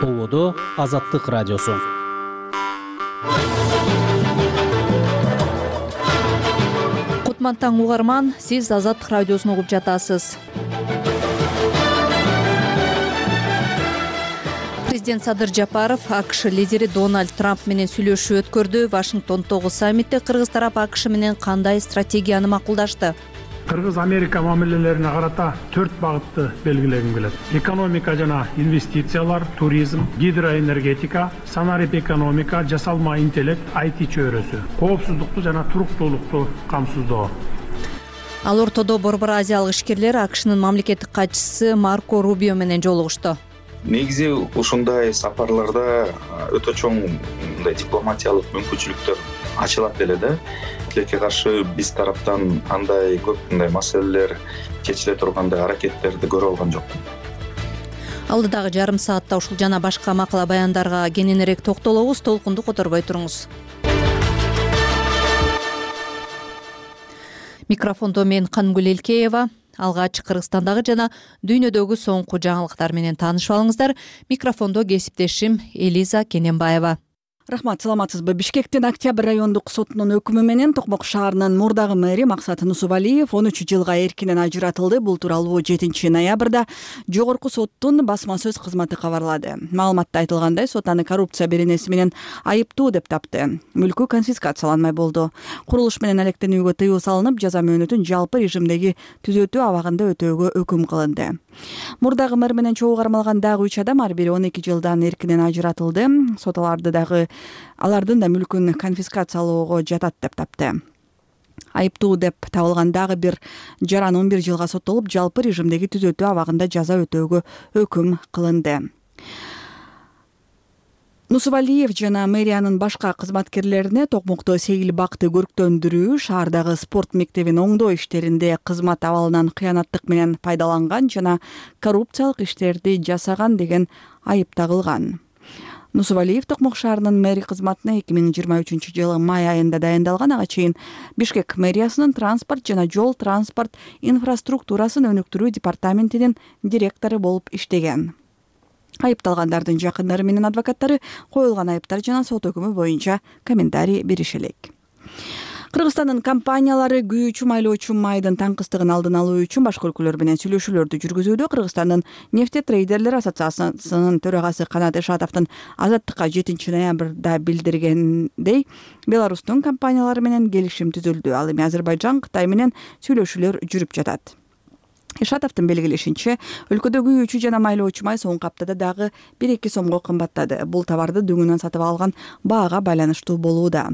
Болодо Азаттык радиосу. Кутман таң угарман, сиз Азаттык радиосун угуп жатасыз. Президент Садыр Жапаров АКШ лидери Дональд Трамп менен сүйлөшүү өткөрдү. Вашингтондогу саммитте кыргыз тарап АКШ менен кандай стратегияны макулдашты? Кыргыз-Америка мамилелерине карата 4 багытты белгилегим келет. Экономика жана инвестициялар, туризм, гидроэнергетика, санарип экономика, жасалма интеллект, IT чөйрөсү, коопсуздукту жана туруктуулукту камсыздоо. Ал ортодо Борбор Азиялык ишкерлер АКШнын мамлекеттик катчысы Марко Рубио менен жолугушту. Негизи ушундай сапарларда өтө чоң мындай дипломатиялык мүмкүнчүлүктөр ачылат эле да. Тилекке каршы биз тараптан андай көп мындай маселелер чечиле тургандай аракеттерди көрө алган жокмун. Алдыдагы жарым саатта ушул жана башка макала баяндарга кененирээк токтолобуз. Толкунду которбой туруңуз. Микрофондо мен Кангүл Элкеева. Алгач Кыргызстандагы жана дүйнөдөгү соңку жаңылыктар менен таанышып алыңыздар. Микрофондо кесиптешим Элиза Кененбаева. Рахмат, саламатсызбы? Бишкектин Октябрь райондук сотунун өкүмү менен Токмок шаарынын мурдагы мэри Максат Нусубалиев 13 жылга эркинен ажыратылды. Бул тууралуу 7 ноябрда жогорку соттун басма сөз кызматы кабарлады. Маалыматта айтылгандай, сот аны коррупция беренеси менен айыптуу деп тапты. Мүлкү конфискацияланмай болду. Курулуш менен алектенүүгө тыюу салынып, жаза мөөнөтүн жалпы режимдеги түзөтүү абагында өтөөгө өкүм кылынды. Мурдагы мэр менен чогуу кармалган дагы 3 адам ар бири 12 жылдан эркинен ажыратылды. Сот алардын да мүлкүн конфискациялоого жатат деп тапты. Айыптуу деп табылган дагы бир жаран 11 жылга соттолуп, жалпы режимдеги түзөтүү абагында жаза өтөөгө өкүм кылынды. Нусубалиев жана мэриянын башка кызматкерлерине Токмокто сейил бакты көрктөндүрүү, шаардагы спорт мектебин оңдоо иштеринде кызмат абалынан кыянаттык менен пайдаланган жана коррупциялык иштерди жасаган деген айып тагылган. Нусубалиев Токмок шаарынын мэри кызматына 2023 жылы май айында дайындалган. Ага чейин Бишкек мэриясынын транспорт жана жол транспорт инфраструктурасын өнүктүрүү департаментинин директору болуп иштеген. Айыпталгандардын жакындары менен адвокаттары коюлган айыптар жана сот өкүмү боюнча комментарий бериши элек. Кыргызстандын компаниялары күйүүчү майлоочу майдын таңкыстыгын алдын алуу үчүн башка өлкөлөр менен сүйлөшүүлөрдү жүргүзүүдө. Кыргызстандын нефтетрейдерлер ассоциациясынын төрагасы Канат Эшатовдун Азаттыкка 7 ноябрда билдиргендей, Беларустун компаниялары менен келишим түзүлдү. Ал эми Азербайжан, Кытай менен сүйлөшүүлөр жүрүп жатат. Эшатовдун белгилешинче, өлкөдө күйүүчү жана майлоочу май соңку аптада дагы 1-2 сомго кымбаттады. Бул товарды дөңүнөн сатып алган баага байланыштуу болууда.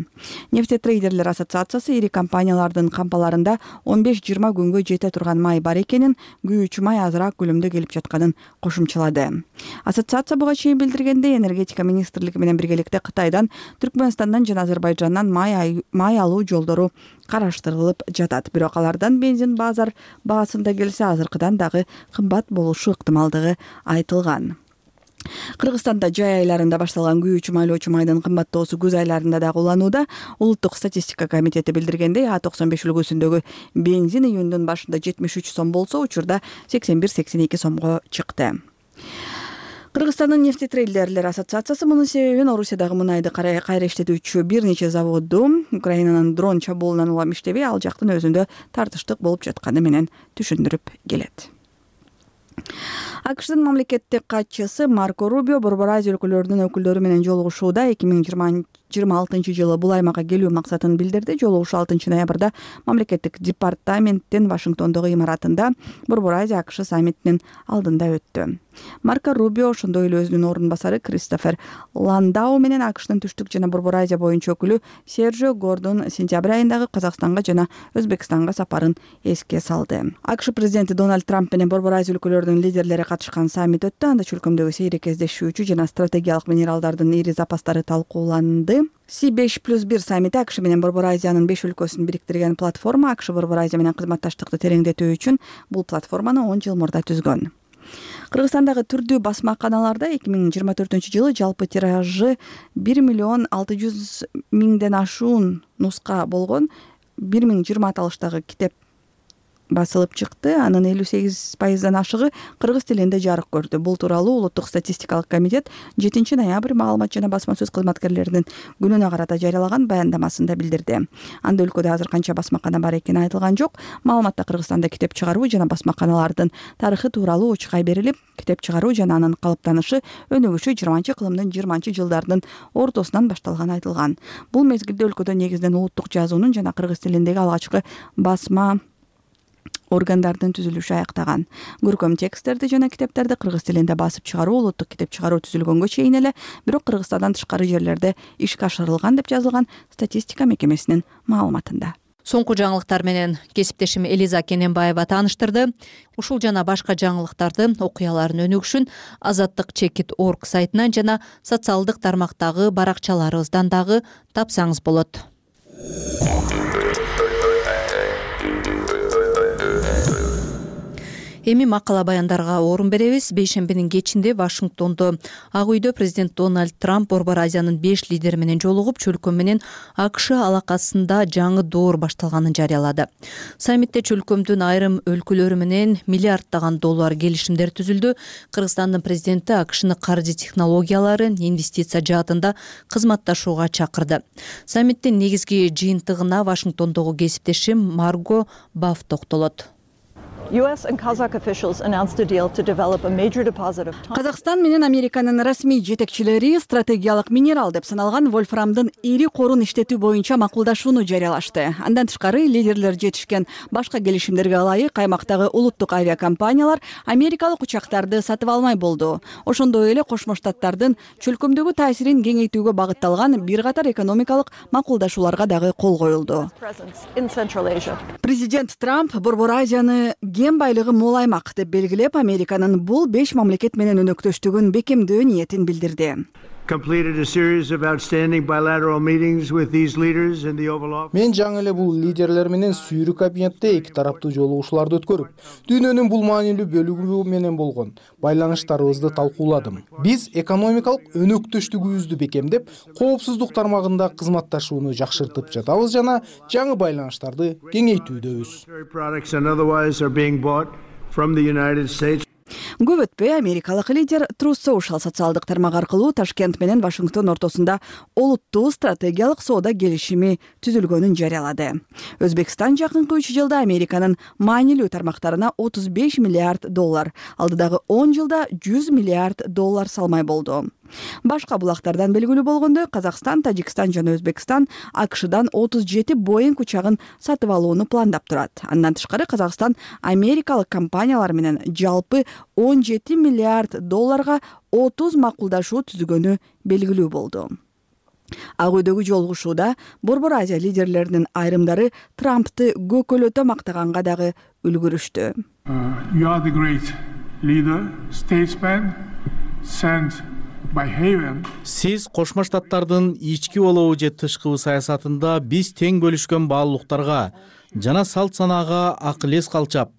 Нефтетрейдерлер ассоциациясы ири компаниялардын кампаларында 15-20 күнгө жете турган май бар экенин, күйүүчү май азыраак көлөмдө келип жатканын кошумчалады. Ассоциация буга чейин билдиргендей, энергетика министрлиги менен биргеликте Кытайдан, Түркмөнстандан жана Азербайжандан май алуу жолдору караштырылып жатат. Бирок алардан бензин базар баасында келсе азыркыдан дагы кымбат болушу ыктымалдыгы айтылган. Кыргызстанда жай айларында башталган күйүүчү майлоочу майдын кымбаттоосу күз айларында дагы уланууда. Улуттук статистика комитети билдиргендей, А95 үлгүсүндөгү бензин июндун башында 73 сом болсо, учурда 81-82 сомго чыкты. Кыргызстандын нефтетрейдерлер ассоциациясы мунун себебин Орусиядагы мунайды кайра иштетүүчү бир нече заводу Украинанын дрон чабуулунан улам иштебей, ал жактын өзүндө тартыштык болуп жатканы менен түшүндүрүп келет. АКШдын мамлекеттик катчысы Марко Рубио Борбор Азия өлкөлөрүнүн өкүлдөрү менен жолугушууда. 2026 жылы бул аймакка келүү максатын билдирди. Жолугушуу 6 ноябрда мамлекеттик департаменттин Вашингтондогу имаратында Борбор Азия АКШ саммитинин алдында өттү. Марко Рубио ошондой эле өзүнүн орун басары Кристофер Ландау менен АКШнын түштүк жана Борбор Азия боюнча өкүлү Сержио Гордон сентябрь айындагы Казакстанга жана Өзбекстанга сапарын эске салды. АКШ президенти Дональд Трамп менен Борбор Азия өлкөлөрүнүн лидерлери катышкан саммит өттү. Анда чөлкөмдөгү сейрек кездешүүчү жана стратегиялык минералдардын ири запастары талкууланды. C5+1 саммити АКШ менен Борбор Азиянын 5 өлкөсүн бириктирген платформа. АКШ Борбор Азия менен кызматташтыкты тереңдетүү үчүн бул платформаны 10 жыл мурда түзгөн. Кыргызстандагы түрдүү басмаканаларда 2024 жылы жалпы тиражы 1,6 миллион ашуун нуска болгон 1020 аталыштагы китеп басылып чыкты. Анын 58% ашыгы кыргыз тилинде жарык көрдү. Бул тууралуу Улуттук статистикалык комитет 7 ноябрь маалымат жана басма сөз кызматкерлеринин күнүнө карата жарыялаган баяндамасында билдирди. Анда өлкөдө азыр канча басмакана бар экени айтылган жок. Маалыматта Кыргызстанда китеп чыгаруу жана басмаканалардын тарыхы тууралуу учкай берилип, китеп чыгаруу жана анын калыптанышы өнүгүшү 20-кылымдын 20-жылдардын ортосунан башталганы айтылган. Бул мезгилде өлкөдө негизинен улуттук жазуунун жана кыргыз тилиндеги алгачкы басма органдардын түзүлүшү аяктаган. Көркөм тексттерди жана китептерди кыргыз тилинде басып чыгаруу улуттук китеп чыгаруу түзүлгөнгө чейин эле, бирок Кыргызстандан тышкары жерлерде ишке ашырылган деп жазылган статистика мекемесинин маалыматында. Соңку жаңылыктар менен кесиптешим Элиза Кененбаева тааныштырды. Ушул жана башка жаңылыктарды, окуялардын өнүгүшүн Азаттык.org сайтынан жана социалдык тармактагы баракчаларыбыздан дагы тапсаңыз болот. Эми макала баяндарга орун беребиз. Бейшембинин кечинде Вашингтондо Ак үйдө президент Дональд Трамп Борбор Азиянын 5 лидери менен жолугуп, чөлкөө менен АКШ алакасында жаңы доор башталганын жарыялады. Саммитте чөлкөмдүн айрым өлкөлөрү менен миллиарддаган доллар келишимдер түзүлдү. Кыргызстандын президенти АКШны каржы технологиялары, инвестиция жаатында кызматташууга чакырды. Саммиттин негизги жыйынтыгына Вашингтондогу кесиптешим Марго Баф токтолот. Казакстан менен Американын расмий жетекчилери стратегиялык минерал деп саналган вольфрамдын ири корун иштетүү боюнча макулдашууну жарыялашты. Андан тышкары лидерлер жетишкен башка келишимдерге ылайык аймактагы улуттук авиакомпаниялар америкалык учактарды сатып алмай болду. Ошондой эле Кошмо Штаттардын чөлкөмдөгү таасирин кеңейтүүгө багытталган бир катар экономикалык макулдашууларга дагы кол коюлду. Президент Трамп Борбор Азияны кен байлыгы мол аймак деп белгилеп, Американын бул 5 мамлекет менен өнөктөштүгүн бекемдөө ниетин билдирди. Мен жаңы эле бул лидерлер менен сүйрүү кабинетте эки тараптуу жолугушууларды өткөрүп, дүйнөнүн бул маанилүү бөлүгү менен болгон байланыштарыбызды талкууладым. Биз экономикалык өнөктөштүгүбүздү бекемдеп, коопсуздук тармагында кызматташууну жакшыртып жатабыз жана жаңы байланыштарды кеңейтүүдөбүз. Көп өтпөй америкалык лидер Truth Social социалдык тармак аркылуу Ташкент менен Вашингтон ортосунда олуттуу стратегиялык соода келишими түзүлгөнүн жарыялады. Өзбекстан жакынкы 3 жылда Американын маанилүү тармактарына $35 миллиард, алдыдагы 10 жылда $100 миллиард салмай болду. Башка булактардан белгилүү болгондой, Казакстан, Тажикстан жана Өзбекстан АКШдан 37 Boeing учагын сатып алууну пландап турат. Андан тышкары Казакстан америкалык компаниялар менен жалпы $17 миллиард 30 макулдашуу түзгөнү белгилүү болду. Ак үйдөгү жолугушууда Борбор Азия лидерлеринин айрымдары Трампты көкөлөтө мактаганга дагы үлгүрүштү. You are the great leader, statesman, sent Сиз Кошмо Штаттардын ички болобу же тышкы саясатында биз тең бөлүшкөн баалуулуктарга жана салт санаага акыл эс калчап,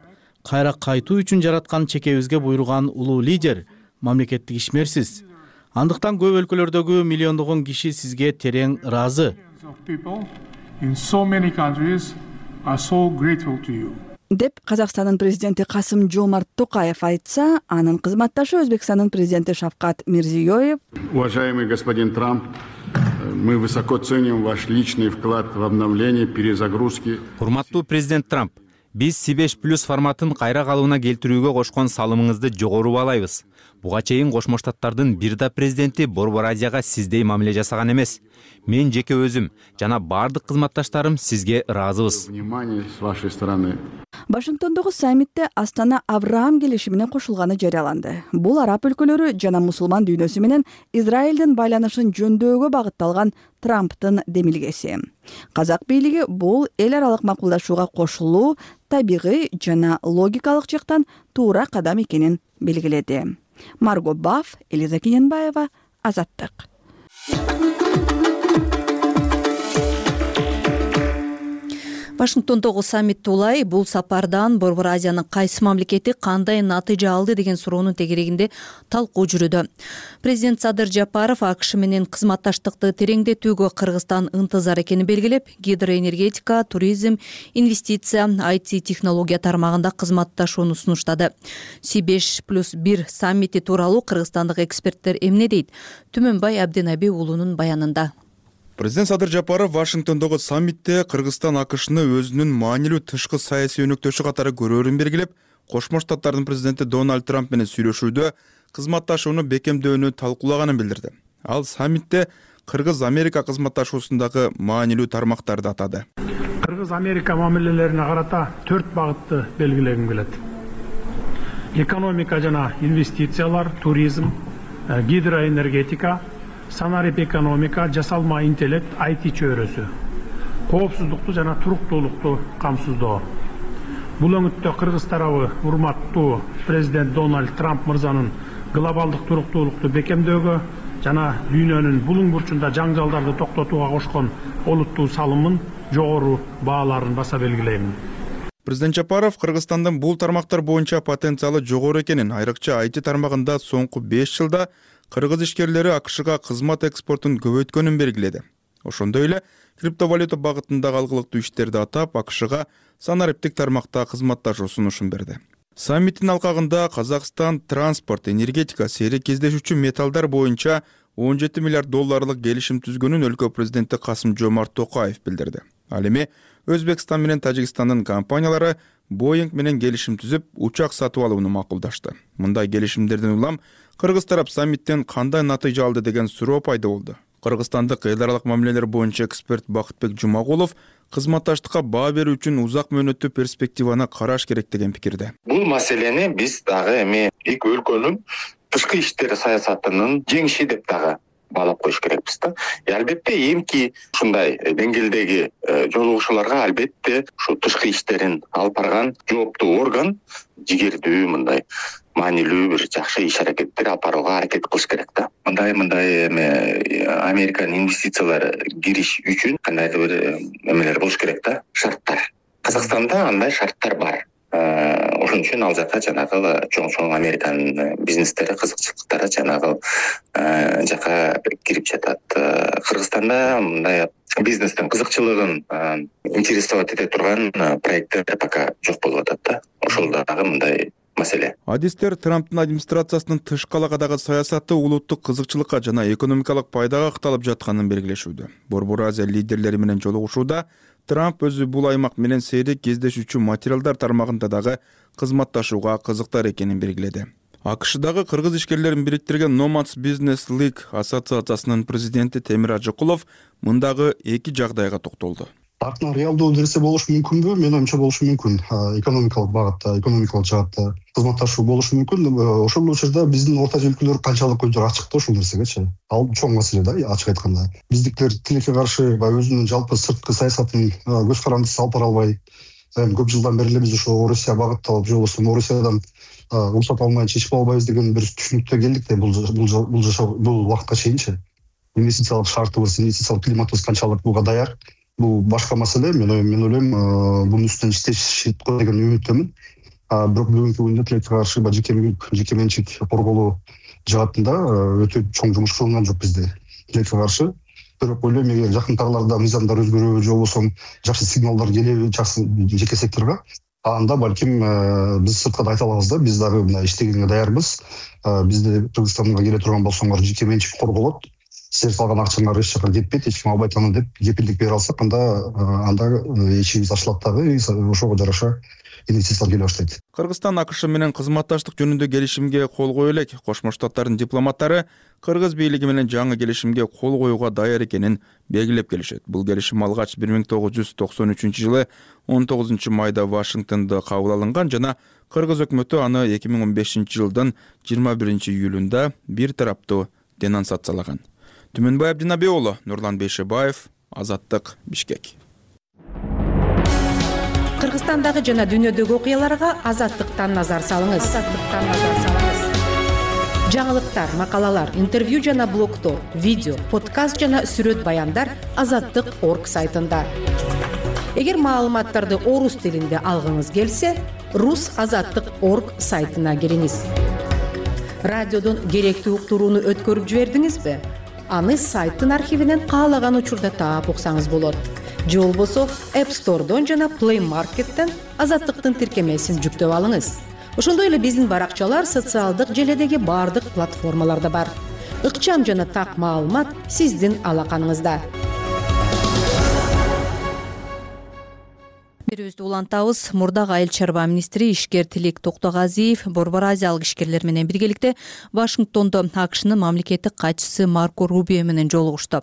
кайра кайтуу үчүн жараткан чекебизге буйруган улуу лидер, мамлекеттик ишмерсиз. Андыктан көп өлкөлөрдөгү миллиондогон киши сизге терең ыраазы. Деп Казакстандын президенти Касым-Жомарт Токаев айтса, анын кызматташы Өзбекстандын президенти Шавкат Мирзиёев: Уважаемый господин Трамп, мы высоко ценим ваш личный вклад в обновление, перезагрузки. Урматтуу президент Трамп, биз C5+ форматын кайра калыбына келтирүүгө кошкон салымыңызды жогору баалайбыз. Буга чейин Кошмо Штаттардын бир да президенти Борбор Азияга сиздей мамиле жасаган эмес. Мен жеке өзүм жана бардык кызматташтарым сизге ыраазыбыз. Внимание с вашей стороны. Вашингтондогу саммитте Астана Авраам келишимине кошулганы жарыяланды. Бул араб өлкөлөрү жана мусулман дүйнөсү менен Израилдин байланышын жөндөөгө багытталган Трамптын демилгеси. Казак бийлиги бул эл аралык макулдашууга кошулуу табигый жана логикалык жактан туура кадам экенин белгиледи. Марго Баф, Элиза Кененбаева, Азаттык. Вашингтондогу саммитти улай бул сапардан Борбор Азиянын кайсы мамлекети кандай натыйжа алды деген суроонун тегерегинде талкуу жүрүүдө. Президент Садыр Жапаров АКШ менен кызматташтыкты тереңдетүүгө Кыргызстан ынтызар экенин белгилеп, гидроэнергетика, туризм, инвестиция, IT технология тармагында кызматташууну сунуштады. C5+1 саммити тууралуу кыргызстандык эксперттер эмне дейт? Түмөнбай Абденаби уулунун баянында. Президент Садыр Жапаров Вашингтондогу саммитте Кыргызстан АКШны өзүнүн маанилүү тышкы саясий өнөктөшү катары көрөөрүн белгилеп, Кошмо Штаттардын президенти Дональд Трамп менен сүйлөшүүдө кызматташууну бекемдөөнү талкуулаганын билдирди. Ал саммитте Кыргыз-Америка кызматташуусундагы маанилүү тармактарды атады. Кыргыз-Америка мамилелерине карата 4 багытты белгилегим келет. Экономика жана инвестициялар, туризм, гидроэнергетика, санарип экономика, жасалма интеллект, IT чөйрөсү, коопсуздукту жана туруктуулукту камсыздоо. Бул өңүттө Кыргыз тарабы урматтуу президент Дональд Трамп мырзанын глобалдык туруктуулукту бекемдөөгө жана дүйнөнүн булуң бурчунда жаңжалдарды токтотууга кошкон олуттуу салымын жогору бааларын баса белгилейм. Президент Жапаров Кыргызстандын бул тармактар боюнча потенциалы жогору экенин, айрыкча IT тармагында соңку 5 жылда кыргыз ишкерлери АКШга кызмат экспортун көбөйткөнүн белгиледи. Ошондой эле криптовалюта багытындагы алгылыктуу иштерди атап, АКШга санариптик тармакта кызматташуу сунушун берди. Саммиттин алкагында Казакстан транспорт, энергетика, сейрек кездешүүчү металлдар боюнча 17 миллиард долларлык келишим түзгөнүн өлкө президенти Касым-Жомарт Токаев билдирди. Ал эми Өзбекстан менен Тажикстандын компаниялары Boeing менен келишим түзүп, учак сатып алууну макулдашты. Мындай келишимдерден улам Кыргыз тарап саммиттен кандай натыйжа алды деген суроо пайда болду. Кыргызстандык эл аралык мамилелер боюнча эксперт Бакытбек Жумагулов кызматташтыкка баа берүү үчүн узак мөөнөттүү перспективаны караш керек деген пикирде. Бул маселени биз дагы эми эки өлкөнүн тышкы иштер саясатынын жеңиши деп дагы баалап коюш керекпиз да. Албетте эмки ушундай деңгээлдеги жолугушууларга албетте ушу тышкы иштерин алып барган жооптуу орган жигердүү мындай маанилүү бир жакшы иш аракеттер алып барууга аракет кылыш керек да. Мындай эми Американын инвестициялары кириш үчүн кандайдыр бир эмелер болуш керек да, шарттар. Казакстанда андай шарттар бар. Ошон үчүн ал жака жанагы чоң Американын бизнестери, кызыкчылыктары жанагы жака кирип жатат. Кыргызстанда мындай бизнестин кызыкчылыгын интересовать эте турган проекттер пока жок болуп атат да. Ошол дагы мындай маселе. Адистер Трамптын администрациясынын тышкы алакадагы саясаты улуттук кызыкчылыкка жана экономикалык пайдага ыкталып жатканын белгилешүүдө. Борбор Азия лидерлери менен жолугушууда Трамп өзү бул аймак менен сейрек кездешүүчү материалдар тармагында дагы кызматташууга кызыктар экенин белгиледи. АКШдагы кыргыз ишкерлерин бириктирген Nomads Business League ассоциациясынын президенти Темир Ажыкулов мындагы эки жагдайга токтолду. Артынан реалдуу нерсе болушу мүмкүнбү? Мен оюмча болушу мүмкүн. Экономикалык багытта, экономикалык жаатта кызматташуу болушу мүмкүн. Ошол учурда биздин орта өлкөлөр канчалык көздөр ачык да ушул нерсегечи. Ал чоң маселе да, ачык айтканда. Биздиктер тилекке каршы өзүнүн жалпы сырткы саясатын көз карандысыз алып бара албай, көп жылдан бери эле биз ошо Орусия багытталып, же болбосо Орусиядан уруксат алмай чечип албайбыз деген бир түшүнүктө келдик да бул убакытка чейинчи. Инвестициялык шартыбыз, инвестициялык климатыбыз канчалык буга даяр. Бул башка маселе. Мен ойлойм, бунун үстүнөн иштешет деген үмүттөмүн. Бирок бүгүнкү күндө тилекке каршы жеке менчик корголоо жаатында өтө чоң жумуш кылынган жок бизде. Тилекке каршы. Бирок ойлойм, эгер жакын араларда мыйзамдар өзгөрөбү, же болбосо жакшы сигналдар келеби жеке секторго, анда балким биз сыртка да айта алабыз да, биз дагы мына иштегенге даярбыз. Бизде Кыргызстанга келе турган болсоңор жеке менчик корголот. Сиздер салган акчаңар эч жака кетпейт, эч ким албайт аны деп кепилдик бере алсак, анда ишибиз ачылат дагы, ошого жараша инвестициялар келе баштайт. Кыргызстан АКШ менен кызматташтык жөнүндө келишимге кол кое элек. Кошмо Штаттардын дипломаттары Кыргыз бийлиги менен жаңы келишимге кол коюуга даяр экенин белгилеп келишет. Бул келишим алгач 1993-жылы 19 майда Вашингтондо кабыл алынган жана Кыргыз өкмөтү аны 2015-жылдын 21 июлунда бир тараптуу денонсациялаган. Түмөнбай Абденаби уулу, Нурлан Бейшебаев, Азаттык, Бишкек. Кыргызстандагы жана дүйнөдөгү окуяларга Азаттыктан назар салыңыз. Жаңылыктар, макалалар, интервью жана блогтор, видео, подкаст жана сүрөт баяндар Азаттык.org сайтында. Эгер маалыматтарды орус тилинде алгыңыз келсе, rusazattik.org сайтына кириңиз. Радиодон керектүү уктурууну өткөрүп жибердиңизби? Аны сайттын архивинен каалаган учурда таап уксаңыз болот. Же болбосо App Store'дон жана Play Market'тен Азаттыктын тиркемесин жүктөп алыңыз. Ошондой эле биздин баракчалар социалдык желедеги бардык платформаларда бар. Ыкчам жана так маалымат сиздин алаканыңызда. Берүүбүздү улантабыз. Мурдагы айыл чарба министри ишкер Тилек Токтогазиев Борбор Азиялык ишкерлер менен биргеликте Вашингтондо АКШнын мамлекеттик катчысы Марко Рубио менен жолугушту.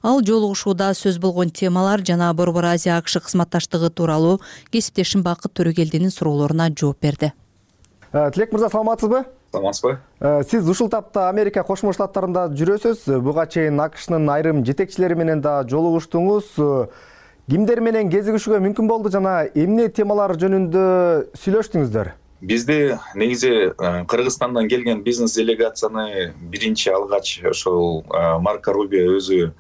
Ал жолугушууда сөз болгон темалар жана Борбор Азия АКШ кызматташтыгы тууралуу кесиптешим Бакыт Төрөгелдинин суроолоруна жооп берди. Тилек мырза, саламатсызбы? Саламатсызбы? Сиз ушул тапта Америка Кошмо Штаттарында жүрөсүз. Буга чейин АКШнын айрым жетекчилери менен да жолугуштуңуз. Кимдер менен кезигишүүгө мүмкүн болду жана эмне темалар жөнүндө сүйлөштүңүздөр? Бизде негизи Кыргызстандан келген бизнес делегацияны биринчи алгач ошол Марко Рубио өзү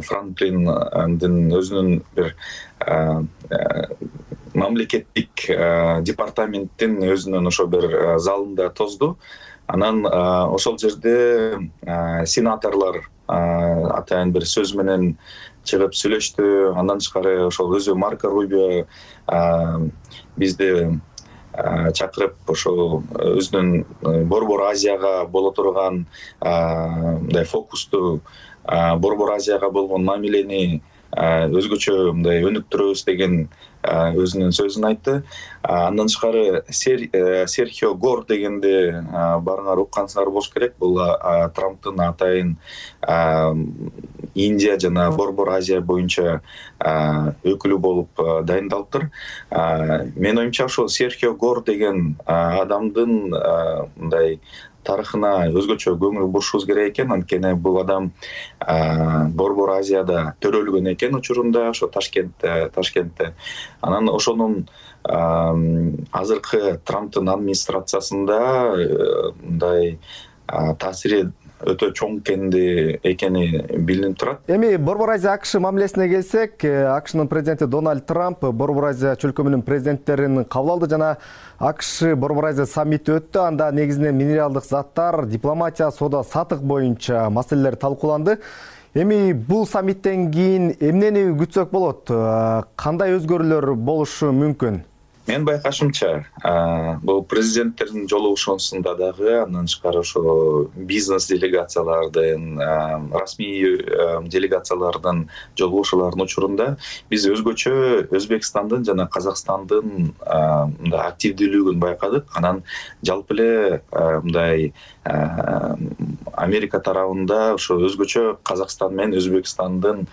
Франклиндин өзүнүн бир мамлекеттик департаменттин өзүнүн ошо бир залында тозду. Анан ошол жерде сенаторлор атайын бир сөз менен чыгып сүйлөштү. Андан тышкары ошол өзү Марко Рубио бизди чакырып ошол өзүнүн Борбор Азияга боло турган мындай фокусту, Борбор Азияга болгон мамилени өзгөчө мындай өнүктүрөбүз деген өзүнүн сөзүн айтты. Андан тышкары Серхио Гор дегенди барыңар уккансыңар болуш керек. Бул Трамптын атайын Индия жана Борбор Азия боюнча өкүлү болуп дайындалыптыр. Менин оюмча ошол Серхио Гор деген адамдын мындай тарыхына өзгөчө көңүл бурушубуз керек экен. Анткени бул адам Борбор Азияда төрөлгөн экен учурунда, ошо Ташкентте. Анан ошонун азыркы Трамптын администрациясында мындай таасири өтө чоң экени билинип турат. Эми Борбор Азия АКШ мамилесине келсек, АКШнын президенти Дональд Трамп Борбор Азия чөлкөмүнүн президенттерин кабыл алды жана АКШ Борбор Азия саммити өттү. Анда негизинен минералдык заттар, дипломатия, соода сатык боюнча маселелер талкууланды. Эми бул саммиттен кийин эмнени күтсөк болот? Кандай өзгөрүүлөр болушу мүмкүн? Мен байкашымча, бул президенттердин жолугушуусунда дагы, андан тышкары ошо бизнес делегациялардын, расмий делегациялардын жолугушууларынын учурунда биз өзгөчө Өзбекстандын жана Казакстандын активдүүлүгүн байкадык. Анан жалпы эле мындай Америка тарабында ошо өзгөчө Казакстан менен Өзбекстандын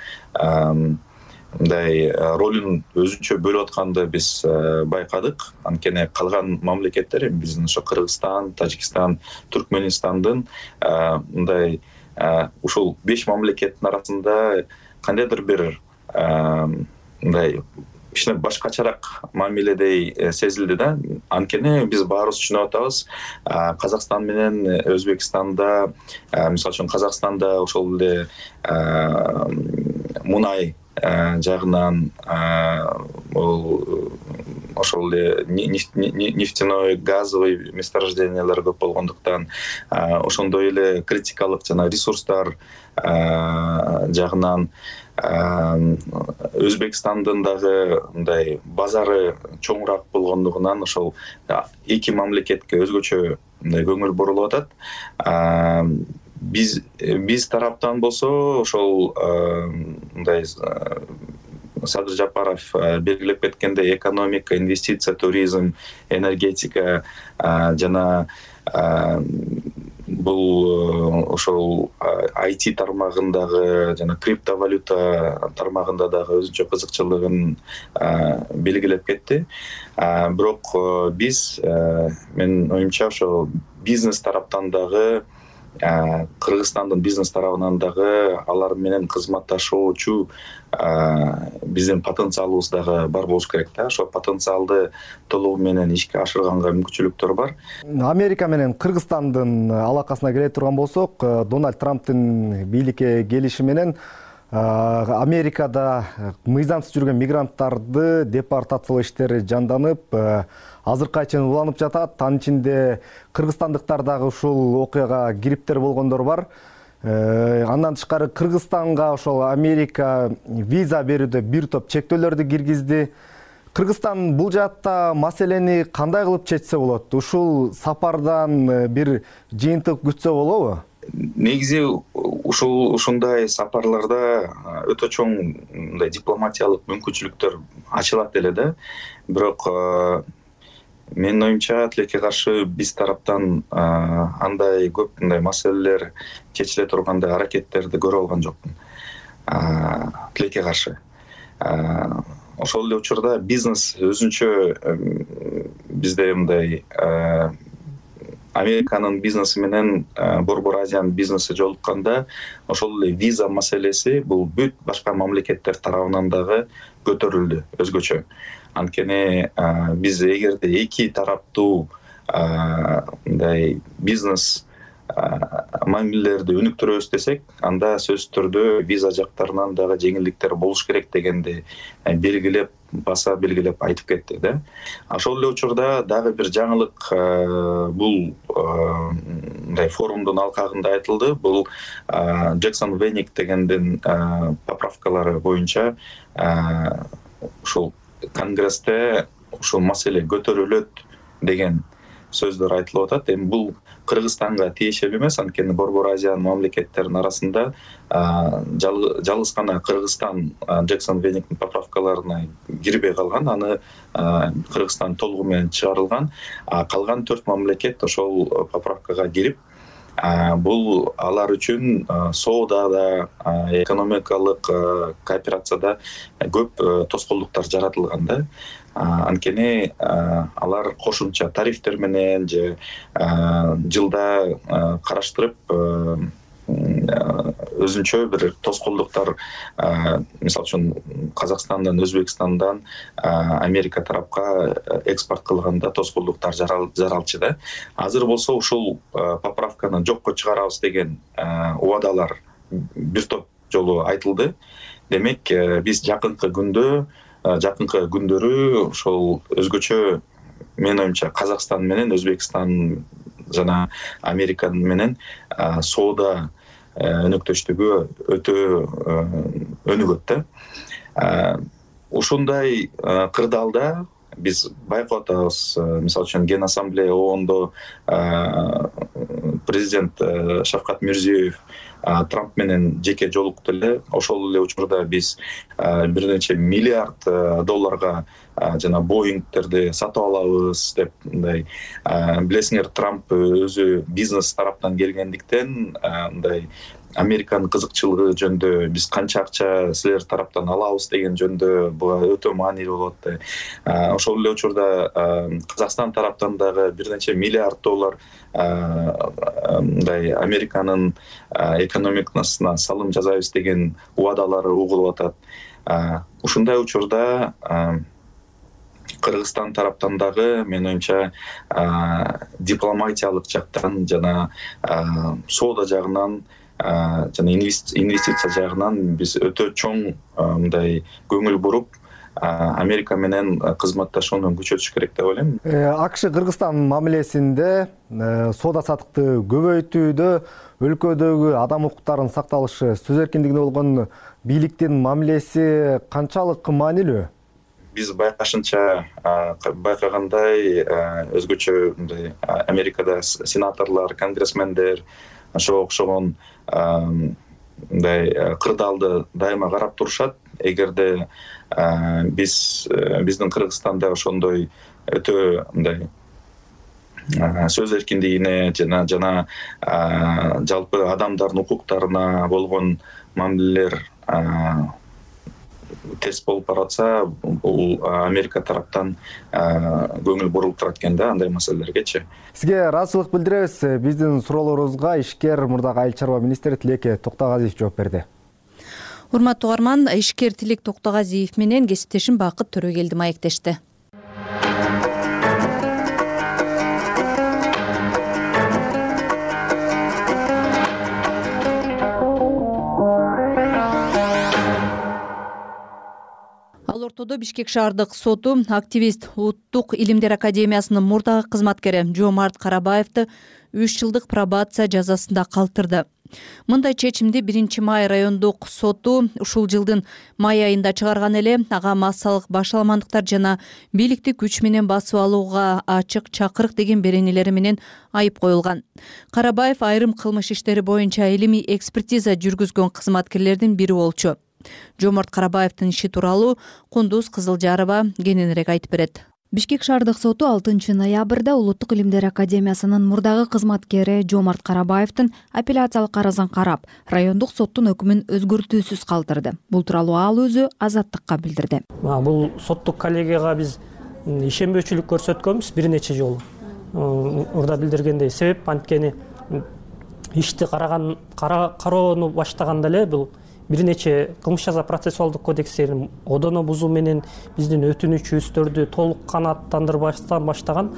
мындай ролун өзүнчө бөлүп атканды биз байкадык. Анткени калган мамлекеттер, биздин ошо Кыргызстан, Тажикстан, Түркмөнстандын мындай ушул 5 мамлекеттин арасында кандайдыр бир мындай кичине башкачараак мамиледей сезилди да. Анткени биз баарыбыз түшүнүп атабыз, Казакстан менен Өзбекстанда, мисалы үчүн Казакстанда ошол эле мунай жагынан ошол эле нефтяной, газовый месторождениялар көп болгондуктан, ошондой эле критикалык жана ресурстар жагынан Өзбекстандын дагы мындай базары чоңураак болгондугунан ошол эки мамлекетке өзгөчө мындай көңүл бурулуп атат. Биз тараптан болсо ошол мындай Садыр Жапаров белгилеп кеткендей экономика, инвестиция, туризм, энергетика жана бул ошол IT тармагындагы жана криптовалюта тармагында дагы өзүнчө кызыкчылыгын белгилеп кетти. Бирок биз, менин оюмча, ошол бизнес тараптан дагы, Кыргызстандын бизнес тарабынан дагы алар менен кызматташуучу биздин потенциалыбыз дагы бар болуш керек да. Ошол потенциалды толугу менен ишке ашырганга мүмкүнчүлүктөр бар. Америка менен Кыргызстандын алакасына келе турган болсок, Дональд Трамптын бийликке келиши менен Америкада мыйзамсыз жүргөн мигранттарды депортациялоо иштери жанданып, азыркыга чейин уланып жатат. Анын ичинде кыргызстандыктар дагы ушул окуяга кириптер болгондор бар. Андан тышкары Кыргызстанга ошол Америка виза берүүдө бир топ чектөөлөрдү киргизди. Кыргызстан бул жаатта маселени кандай кылып чечсе болот? Ушул сапардан бир жыйынтык күтсө болобу? Негизи ушундай сапарларда өтө чоң мындай дипломатиялык мүмкүнчүлүктөр ачылат эле да. Бирок менин оюмча тилекке каршы биз тараптан андай көп мындай маселелер чечиле тургандай аракеттерди көрүп алган жокмун. Тилекке каршы. Ошол эле учурда бизнес өзүнчө бизде мындай Американын бизнеси менен Борбор Азиянын бизнеси жолукканда ошол эле виза маселеси бул бүт башка мамлекеттер тарабынан дагы көтөрүлдү өзгөчө. Анткени биз эгерде эки тараптуу мындай бизнес мамилелерди өнүктүрөбүз десек, анда сөзсүз түрдө виза жактарынан дагы жеңилдиктер болуш керек дегенди белгилеп, баса белгилеп айтып кетти да. Ошол эле учурда дагы бир жаңылык бул мындай форумдун алкагында айтылды. Бул Джексон Веник дегендин поправкалары боюнча ушул Конгрессте ушул маселе көтөрүлөт деген сөздөр айтылып атат. Эми бул Кыргызстанга тиешелүү эмес, анткени Борбор Азиянын мамлекеттеринин арасында жалгыз гана Кыргызстан Джексон Вениктин поправкаларына кирбей калган, аны Кыргызстан толугу менен чыгарылган, калган 4 мамлекет ошол поправкага кирип, бул алар үчүн соодада, экономикалык кооперацияда көп тоскоолдуктар жаратылган да. Анткени алар кошумча тарифтер менен же жылда караштырып өзүнчө бир тоскоолдуктар, мисалы үчүн Казакстандан, Өзбекстандан Америка тарапка экспорт кылганда тоскоолдуктар жаралчы да. Азыр болсо ушул поправканы жокко чыгарабыз деген убадалар бир топ жолу айтылды. Демек, биз жакынкы күндөрү ошол өзгөчө менин оюмча Казакстан менен Өзбекстан жана Америка менен соода өнөктөштүгү өтө өнүгөт да. Ушундай кырдаалда биз байкап атабыз. Мисалы үчүн Ген Ассамблея ООНдо президент Шавкат Мирзиёев Трамп менен жеке жолукту эле. Ошол эле учурда биз бир нече миллиард долларга жана Боингтерди сатып алабыз деп мындай. Билесиңер, Трамп өзү бизнес тараптан келгендиктен мындай Американын кызыкчылыгы жөнүндө биз канча акча силер тараптан алабыз деген жөнүндө буга өтө маанилүү болот. Ошол эле учурда Казакстан тараптан дагы бир нече миллиард доллар мындай Американын экономикасына салым жасайбыз деген убадалары угулуп атат. Ушундай учурда Кыргызстан тараптан дагы менин оюмча дипломатиялык жактан жана соода жагынан жана инвестиция жагынан биз өтө чоң мындай көңүл буруп Америка менен кызматташууну күчөтүш керек деп ойлойм. АКШ Кыргызстан мамилесинде соода саттыкты көбөйтүүдө өлкөдөгү адам укуктарынын сакталышы, сөз эркиндигине болгон бийликтин мамилеси канчалык маанилүү? Биз байкагандай өзгөчө мындай Америкада сенаторлор, конгрессмендер ошого окшогон мындай кырдаалды дайыма карап турушат. Эгерде биздин Кыргызстанда ошондой өтө мындай сөз эркиндигине жана жалпы адамдардын укуктарына болгон мамилелер терс болуп баратса, бул Америка тараптан көңүл бурулуп турат экен да андай маселелергечи. Сизге ыраазычылык билдиребиз. Биздин суроолорубузга ишкер мурдагы айыл чарба министри Тилеке Токтогазиев жооп берди. Урматтуу угарман, ишкер Тилек Токтогазиев менен кесиптешим Бакыт Төрөгелди маектешти. ортодо Бишкек шаардык соту активист Улуттук илимдер академиясынын мурдагы кызматкери Жомарт Карабаевди 3 жылдык пробация жазасында калтырды. Мындай чечимди 1-май райондук соту ушул жылдын май айында чыгарган эле. Ага массалык башаламандыктар жана бийликти күч менен басып алууга ачык чакырык деген беренелери менен айып коюлган. Карабаев айрым кылмыш иштери боюнча илимий экспертиза жүргүзгөн кызматкерлердин бири болчу. Жомарт Карабаевдин иши тууралуу Кундуз Кызылжарова кененирээк айтып берет. Бишкек шаардык соту 6 ноябрда Улуттук илимдер академиясынын мурдагы кызматкери Жомарт Карабаевдин апелляциялык арызын карап, райондук соттун өкүмүн өзгөртүүсүз калтырды. Бул тууралуу ал өзү Азаттыкка билдирди. Бул соттук коллегияга биз ишенбөөчүлүк көрсөткөнбүз бир нече жолу. Урда билдиргендей, себеп анткени ишти кароону баштаганда эле бул бир нече кылмыш жаза процессуалдык кодекстерин одоно бузуу менен биздин өтүнүчүбүздөрдү толук канааттандырбастан баштаган.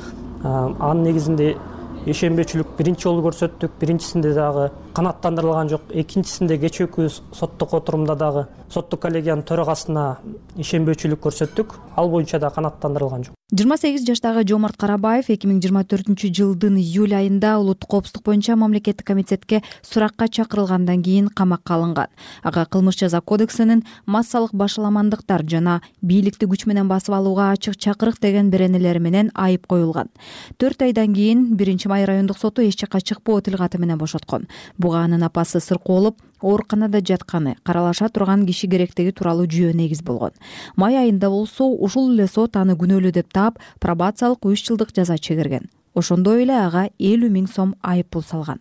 Анын негизинде ишенбөөчүлүк биринчи жолу көрсөттүк. Биринчисинде дагы канааттандырылган жок. Экинчисинде кечээкү соттук отурумда дагы соттук коллегиянын төрагасына ишенбөөчүлүк көрсөттүк. Ал боюнча да канааттандырылган жок. 28 жаштагы Жомарт Карабаев 2024 жылдын июль айында улуттук коопсуздук боюнча мамлекеттик комитетке суракка чакырылгандан кийин камакка алынган. Ага кылмыш жаза кодексинин массалык башаламандыктар жана бийликти күч менен басып алууга ачык чакырык деген беренелери менен айып коюлган. 4 айдан кийин 1-май райондук соту эч жакка чыкпоо тил каты менен бошоткон. Буга анын апасы сыркуу болуп, ооруканада жатканы, каралаша турган киши керектиги тууралуу жүйө негиз болгон. Май айында болсо ушул эле сот аны күнөөлүү деп таап, пробациялык 3 жылдык жаза чегерген. Ошондой эле ага 50 000 сом айып пул салган.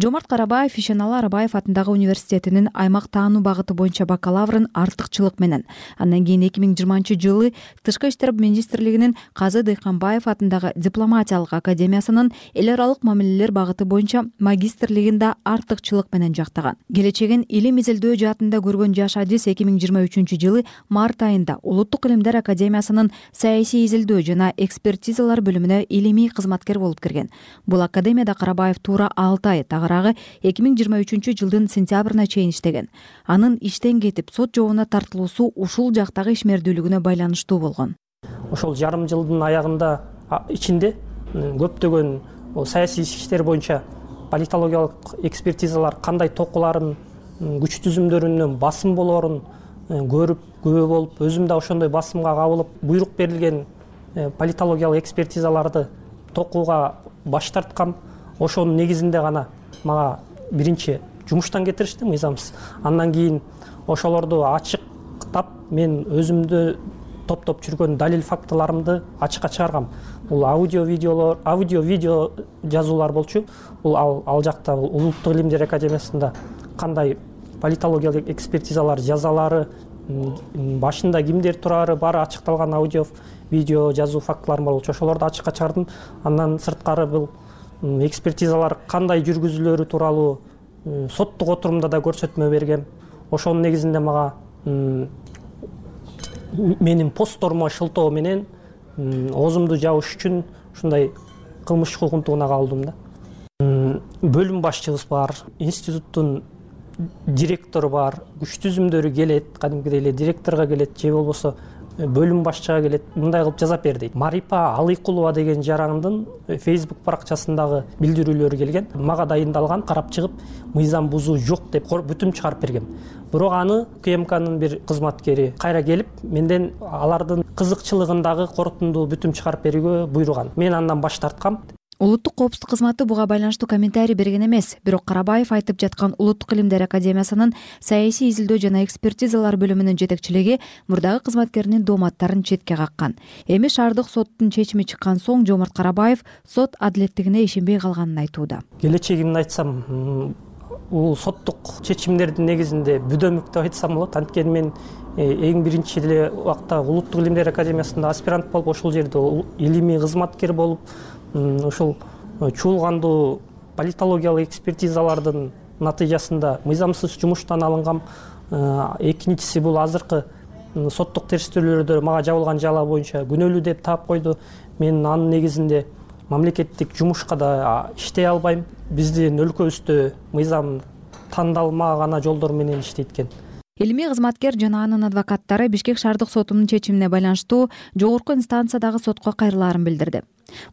Жомарт Карабаев Ишеналы Арабаев атындагы университетинин аймак таануу багыты боюнча бакалаврын артыкчылык менен, андан кийин 2020 жылы Тышкы иштер министрлигинин Казы Дыйканбаев атындагы дипломатиялык академиясынын эл аралык мамилелер багыты боюнча магистрлигин да артыкчылык менен жактаган. Келечегин илим изилдөө жаатында көргөн жаш адис 2023 жылы март айында Улуттук илимдер академиясынын саясий изилдөө жана экспертизалар бөлүмүнө илимий кызматкер болуп кирген. Бул академияда Карабаев туура 6 ай, тагыраагы 2023 жылдын сентябрына чейин иштеген. Анын иштен кетип сот жообуна тартылуусу ушул жактагы ишмердүүлүгүнө байланыштуу болгон. Ошол жарым жылдын аягында ичинде көптөгөн саясий иштер боюнча политологиялык экспертизалар кандай токуларын, күч түзүмдөрүнүн басым болоорун көрүп, күбө болуп, өзүм да ошондой басымга кабылып, буйрук берилген политологиялык экспертизаларды токууга баш тарткам. Ошонун негизинде гана мага биринчи жумуштан кетиришти мыйзамсыз. Андан кийин ошолорду ачыктап, мен өзүмдү топтоп жүргөн далил фактыларымды ачыкка чыгаргам. Бул аудио-видео жазуулар болчу. Бул ал жакта Улуттук илимдер академиясында кандай политологиялык экспертизалар жазалары, башында кимдер турары баары ачыкталган аудио-видео жазуу фактыларым болчу. Ошолорду ачыкка чыгардым. Андан сырткары бул экспертизалар кандай жүргүзүлөрү тууралуу соттук отурумда да көрсөтмө бергем. Ошонун негизинде мага менин постторума шылтоо менен оозумду жабыш үчүн ушундай кылмыш укугунтугуна кабылдым да. Бөлүм башчыбыз бар, институттун директору бар, күч түзүмдөрү келет, кадимкидей эле директорго келет, же болбосо бөлүм башчыга келет, мындай кылып жазап бер дейт. Марипа Алыкулова деген жарандын Facebook баракчасындагы билдирүүлөрү келген. Мага дайындалган, карап чыгып, мыйзам бузуу жок деп бүтүм чыгарып бергем. Бирок аны КМКнын бир кызматкери кайра келип, менден алардын кызыкчылыгындагы корутундуу бүтүм чыгарып берүүгө буйруган. Мен андан баш тарткам. Улуттук коопсуздук кызматы буга байланыштуу комментарий берген эмес, бирок Карабаев айтып жаткан Улуттук илимдер академиясынын саясий изилдөө жана экспертизалар бөлүмүнүн жетекчилиги мурдагы кызматкеринин дооматтарын четке каккан. Эми шаардык соттун чечими чыккан соң Жомарт Карабаев сот адилеттигине ишенбей калганын айтууда. Келечегимди айтсам, бул соттук чечимдердин негизинде бүдөмүк деп айтсам болот. Анткени мен эң биринчи эле убакта Улуттук илимдер академиясында аспирант болуп, ошол жерде илимий кызматкер болуп, ушул чуулгандуу политологиялык экспертизалардын натыйжасында мыйзамсыз жумуштан алынгам. Экинчиси бул азыркы соттук териштирүүлөрдө мага жабылган жала боюнча күнөөлүү деп таап койду. Мен анын негизинде мамлекеттик жумушка да иштей албайм. Биздин өлкөбүздө мыйзам тандалма гана жолдор менен иштейт экен. илимий кызматкер жана анын адвокаттары Бишкек шаардык сотунун чечимине байланыштуу жогорку инстанциядагы сотко кайрылаарын билдирди.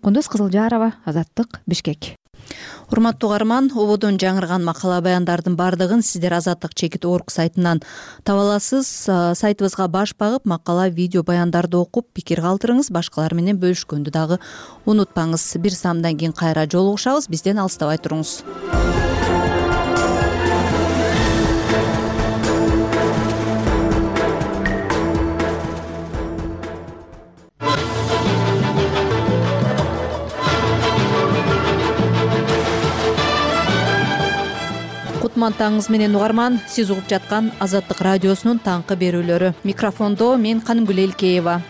Кундуз Кызылжарова, Азаттык, Бишкек. Урматтуу угарман, ободон жаңырган макала баяндардын бардыгын сиздер Азаттык чекит орг сайтынан таба аласыз. Сайтыбызга баш багып, макала, видео баяндарды окуп, пикир калтырыңыз, башкалар менен бөлүшкөндү дагы унутпаңыз. Бир самдан кийин кайра жолугушабыз, бизден алыстабай туруңуз. Кутман таңыңыз менен угарман, сиз угуп жаткан Азаттык радиосунун таңкы берүүлөрү. Микрофондо мен Канымгүл Элкеева.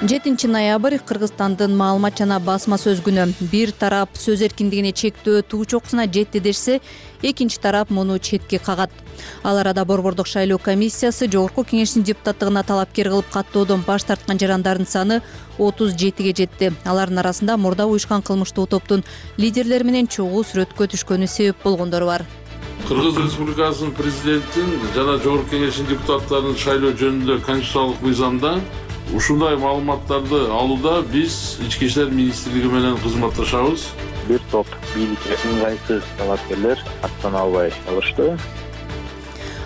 7 ноябрь Кыргызстандын маалымат жана басма сөз күнү. Бир тарап сөз эркиндигине чектөө туу чокусуна жетти дешсе, экинчи тарап муну четке кагат. Ал арада Борбордук шайлоо комиссиясы Жогорку кеңештин депутаттыгына талапкер кылып каттоодон баш тарткан жарандардын саны 37ге жетти. Алардын арасында мурда уюшкан кылмыштуу топтун лидерлери менен чогуу сүрөткө түшкөнү себеп болгондор бар. Кыргыз Республикасынын президентин жана Жогорку кеңештин депутаттарын шайлоо жөнүндө конституциялык мыйзамда ушундай маалыматтарды алууда биз Ички иштер министрлиги менен кызматташабыз. Бир топ бийликке ыңгайсыз талапкерлер аттана албай калышты.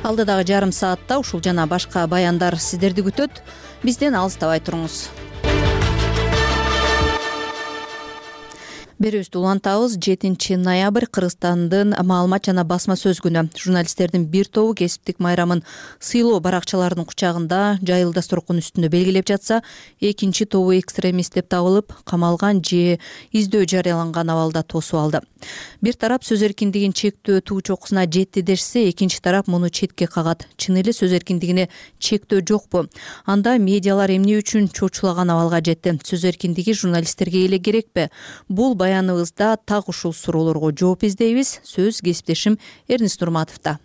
Алдыдагы жарым саатта ушул жана башка баяндар сиздерди күтөт. Бизден алыстабай туруңуз. Берүүбүздү улантабыз. 7 ноябрь Кыргызстандын маалымат жана басма сөз күнү. Журналисттердин бир тобу кесиптик майрамын сыйлоо баракчаларынын кучагында жайыл дасторкон үстүндө белгилеп жатса, экинчи тобу экстремист деп табылып, камалган же издөө жарыяланган абалда тосуп алды. Бир тарап сөз эркиндигин чектөө туу чокусуна жетти дешсе, экинчи тарап муну четке кагат. Чын эле сөз эркиндигине чектөө жокпу? Анда медиалар эмне үчүн чочулаган абалга жетти? Сөз эркиндиги журналисттерге эле керекпи? Бул баяныбызда так ушул суроолорго жооп издейбиз. Сөз кесиптешим Эрнис Нурматовдо.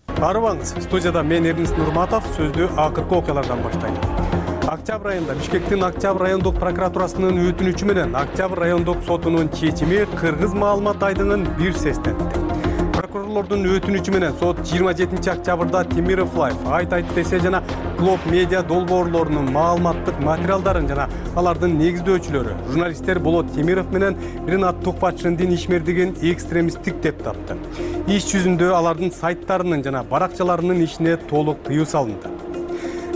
Арыбаңыз, студияда мен Эрнис Нурматов. Сөздү акыркы окуялардан баштайм. Октябрь айында Бишкектин Октябрь райондук прокуратурасынын өтүнүчү менен Октябрь райондук сотунун чечими Кыргыз маалымат айдыгын бир сестентти. Прокурорлордун өтүнүчү менен сот 27 октябрда Темиров Лайф, Айт десе жана Глоб медиа долбоорлорунун маалыматтык материалдарын жана алардын негиздөөчүлөрү журналисттер Болот Темиров менен Ринат Тукпатшиндин ишмердигин экстремисттик деп тапты. Иш жүзүндө алардын сайттарынын жана баракчаларынын ишине толук тыюу салынды.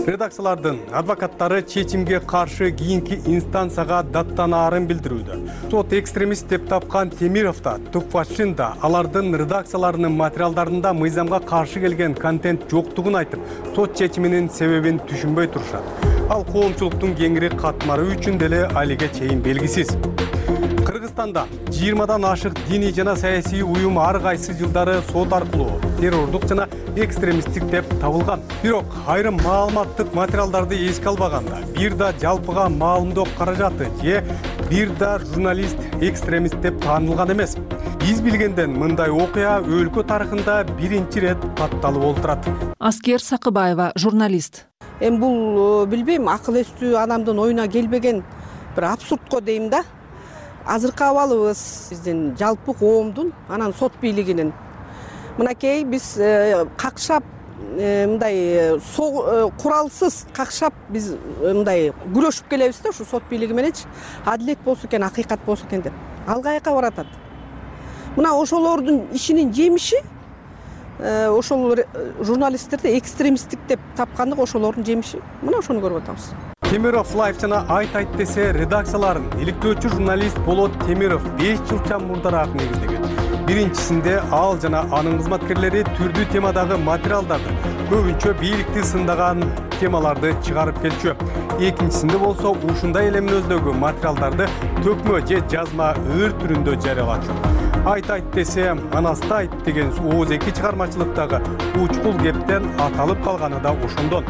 Редакциялардын адвокаттары чечимге каршы кийинки инстанцияга даттанаарын билдирүүдө. Сот экстремист деп тапкан Темиров да, Тукпатшин да алардын редакцияларынын материалдарында мыйзамга каршы келген контент жоктугун айтып, сот чечиминин себебин түшүнбөй турушат. Ал коомчулуктун кеңири катмары үчүн деле алиге чейин белгисиз. Кыргызстанда 20дан ашык диний жана саясий уюм ар кайсы жылдары сот аркылуу террордук жана экстремисттик деп табылган. Бирок айрым маалыматтык материалдарды эске албаганда, бир да жалпыга маалымдоо каражаты же бир да журналист экстремист деп таанылган эмес. Биз билгенден мындай окуя өлкө тарыхында биринчи рет катталып олтурат. Аскер Сакыбаева, журналист. Бул билбейм, акыл эстүү адамдын оюна келбеген бир абсурдко дейм да. Азыркы абалыбыз биздин жалпы коомдун, анан сот бийлигинин мынакей биз какшап мындай куралсыз какшап биз мындай күрөшүп келебиз да, ушу сот бийлиги мененчи адилет болсо экен, акыйкат болсо экен деп. Ал каяка баратат? Мына ошолордун ишинин жемиши ошол журналисттерди экстремисттик деп тапкандык ошолордун жемиши. Мына ошону көрүп атабыз. Темиров Лайф жана Айт десе редакцияларын иликтөөчү журналист Болот Темиров 5 жылча мурдараак негиздеген. Биринчисинде ал жана анын кызматкерлери түрдүү темадагы материалдарды, көбүнчө бийликти сындаган темаларды чыгарып келчү. Экинчисинде болсо ушундай эле мүнөздөгү материалдарды төкмө же жазма ыр түрүндө жарыялачу. Айт десе Анасты айт деген ооз-эки чыгармачылыктагы учкул кептен аталып калганы да ошондон.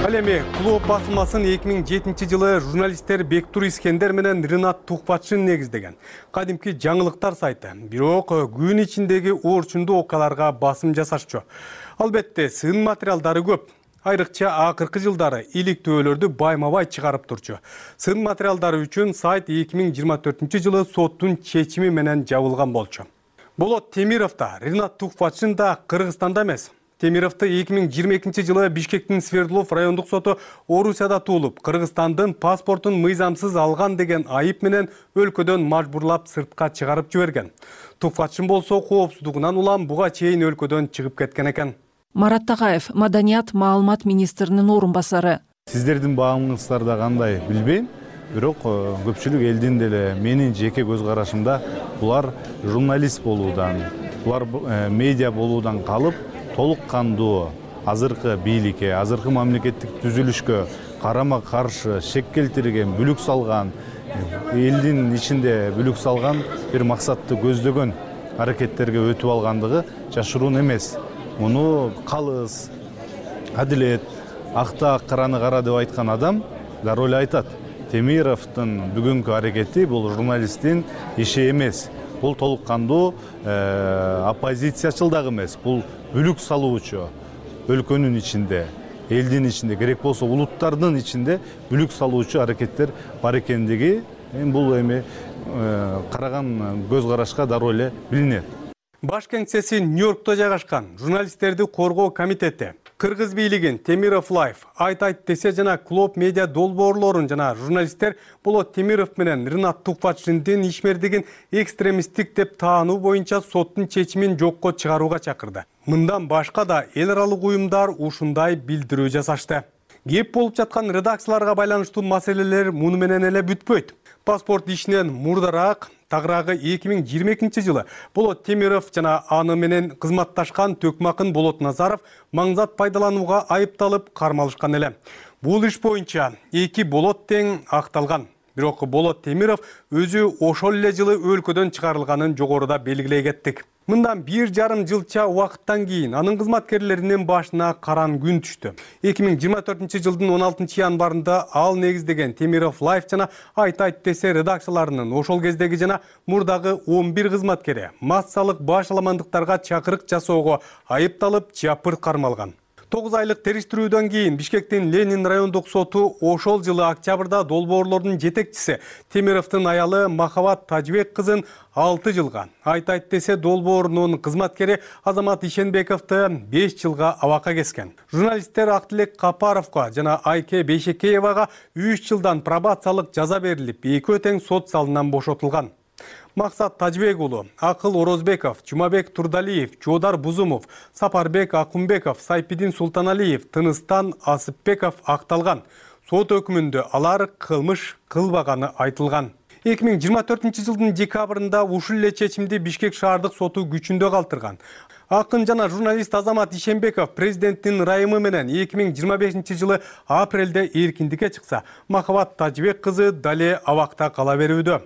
Ал эми Клуб басылмасын 2007 жылы журналисттер Бектур Искендер менен Ринат Тукпатшин негиздеген кадимки жаңылыктар сайты. Бирок күн ичиндеги орчундуу окуяларга басым жасашчу. Албетте сын материалдары көп. Айрыкча акыркы жылдары иликтөөлөрдү байма-бай чыгарып турчу. Сын материалдары үчүн сайт 2024 жылы соттун чечими менен жабылган болчу. Болот Темиров да, Ринат Тухватшин да Кыргызстанда эмес. Темировду 2022-жылы Бишкектин Свердлов райондук соту Орусияда туулуп, Кыргызстандын паспортун мыйзамсыз алган деген айып менен өлкөдөн мажбурлап сыртка чыгарып жиберген. Тухватшин болсо коопсуздугунан улам буга чейин өлкөдөн чыгып кеткен экен. Марат Такаев, Маданият маалымат министринин орун басары. Сиздердин баамыңыздарда кандай билбейм, бирок көпчүлүк элдин деле менин жеке көз карашымда булар журналист болуудан, булар медиа болуудан калып, толук кандуу азыркы бийликке, азыркы мамлекеттик түзүлүшкө карама каршы шек келтирген, бүлүк салган, элдин ичинде бүлүк салган бир максатты көздөгөн аракеттерге өтүп алгандыгы жашыруун эмес. Муну калыс, адилет, актаак караны кара деп айткан адам дароо эле айтат. Темировдун бүгүнкү аракети бул журналисттин иши эмес. Бул толук кандуу оппозициячыл дагы эмес. Бул бүлүк салуучу өлкөнүн ичинде, элдин ичинде, керек болсо улуттардын ичинде бүлүк салуучу аракеттер бар экендиги бул эми караган көз карашка дароо эле билинет. Баш кеңсеси Нью-Йоркто жайгашкан журналисттерди коргоо комитети Кыргыз бийлигин Темиров Лайф, Айт десе жана Клоп медиа долбоорлорун жана журналисттер Болот Темиров менен Ринат Тухватшиндин ишмердигин экстремисттик деп таануу боюнча соттун чечимин жокко чыгарууга чакырды. Мындан башка да эл аралык уюмдар ушундай билдирүү жасашты. Кеп болуп жаткан редакцияларга байланыштуу маселелер муну менен эле бүтпөйт. Паспорт ишинен мурдараак тагыраагы 2022-жылы Болот Темиров жана аны менен кызматташкан Төкмакын Болот Назаров маңзат пайдаланууга айыпталып кармалышкан эле. Бул иш боюнча эки болот тең акталган. Бирок Болот Темиров өзү ошол эле жылы өлкөдөн чыгарылганын жогоруда белгилей кеттик. Мындан 1,5 жылча убакыттан кийин анын кызматкерлеринин башына каран күн түштү. 2024-жылдын 16 январында ал негиздеген Темиров Лайф жана Айт десе редакцияларынын ошол кездеги жана мурдагы 11 кызматкери массалык башаламандыктарга чакырык жасоого айыпталып жапыр кармалган. 9 айлык териштирүүдөн кийин Бишкектин Ленин райондук соту ошол жылы октябрда долбоорлордун жетекчиси Темировдун аялы Махабат Тажбек кызын 6 жылга, Айт десе долбоорунун кызматкери Азамат Ишенбековду 5 жылга абакка кескен. Журналисттер Актилек Капаровго жана Айке Бейшекеевага 3 жылдан пробациялык жаза берилип, экөө тең сот залынан бошотулган. Максат Тажбек уулу, Акыл Орозбеков, Жумабек Турдалиев, Жодар Бузумов, Сапарбек Акунбеков, Сайпидин Султаналиев, Тыныстан Асыпбеков акталган. Сот өкүмүндө алар кылмыш кылбаганы айтылган. 2024-жылдын декабрында ушул эле чечимди Бишкек шаардык соту күчүндө калтырган. Акын жана журналист Азамат Ишенбеков президенттин ырайымы менен 2025-жылы апрелде эркиндикке чыкса, Махабат Тажбек кызы дале абакта кала берүүдө.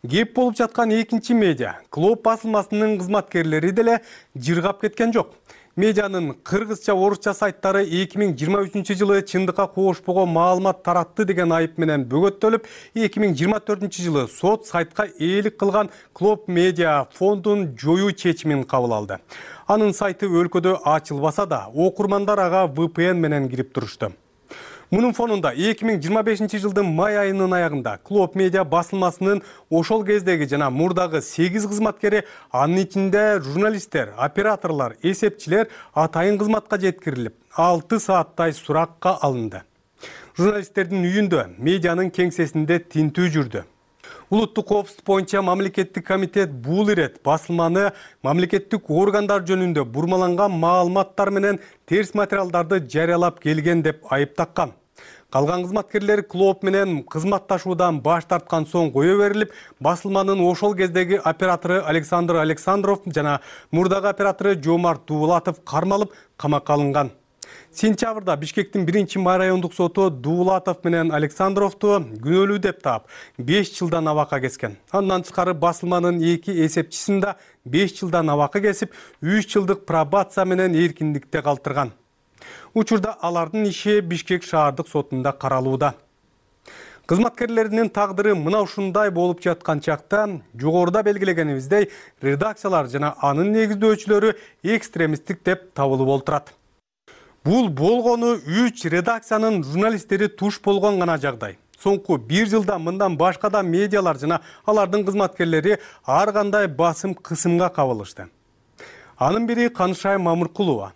Кеп болуп жаткан экинчи медиа Клоп басылмасынын кызматкерлери деле жыргап кеткен жок. Медианын кыргызча, орусча сайттары 2023-жылы чындыкка коошпогон маалымат таратты деген айып менен бөгөттөлүп, 2024-жылы сот сайтка ээлик кылган Клоп медиа фондун жоюу чечимин кабыл алды. Анын сайты өлкөдө ачылбаса да, окурмандар ага VPN менен кирип турушту. Мунун фонунда 2025-жылдын май айынын аягында Клоп медиа басылмасынын ошол кездеги жана мурдагы 8 кызматкери, анын ичинде журналисттер, операторлор, эсепчилер атайын кызматка жеткирилип, 6 сааттай суракка алынды. Журналисттердин үйүндө, медианын кеңсесинде тинтүү жүрдү. Улуттук коопсуздук боюнча мамлекеттик комитет бул ирет басылманы мамлекеттик органдар жөнүндө бурмаланган маалыматтар менен терс материалдарды жарыялап келген деп айыптаккан. Калган кызматкерлер Клоп менен кызматташуудан баш тарткан соң кое берилип, басылманын ошол кездеги оператору Александр Александров жана мурдагы оператору Жомарт Дуулатов кармалып, камакка алынган. Сентябрда Бишкектин 1-май райондук соту Дуулатов менен Александровду күнөөлүү деп таап 5 жылдан абакка кескен. Андан тышкары басылманын 2 эсепчисин да 5 жылдан абакка кесип, 3 жылдык пробация менен эркиндикте калтырган. Учурда алардын иши Бишкек шаардык сотунда каралууда. Кызматкерлеринин тагдыры мына ушундай болуп жаткан чакта, жогоруда белгилегенибиздей, редакциялар жана анын негиздөөчүлөрү экстремисттик деп табылып олтурат. Бул болгону 3 редакциянын журналисттери туш болгон гана жагдай. Соңку 1 жылда мындан башка да медиалар жана алардын кызматкерлери ар кандай басым кысымга кабылышты. Анын бири Канышай Мамыркулова.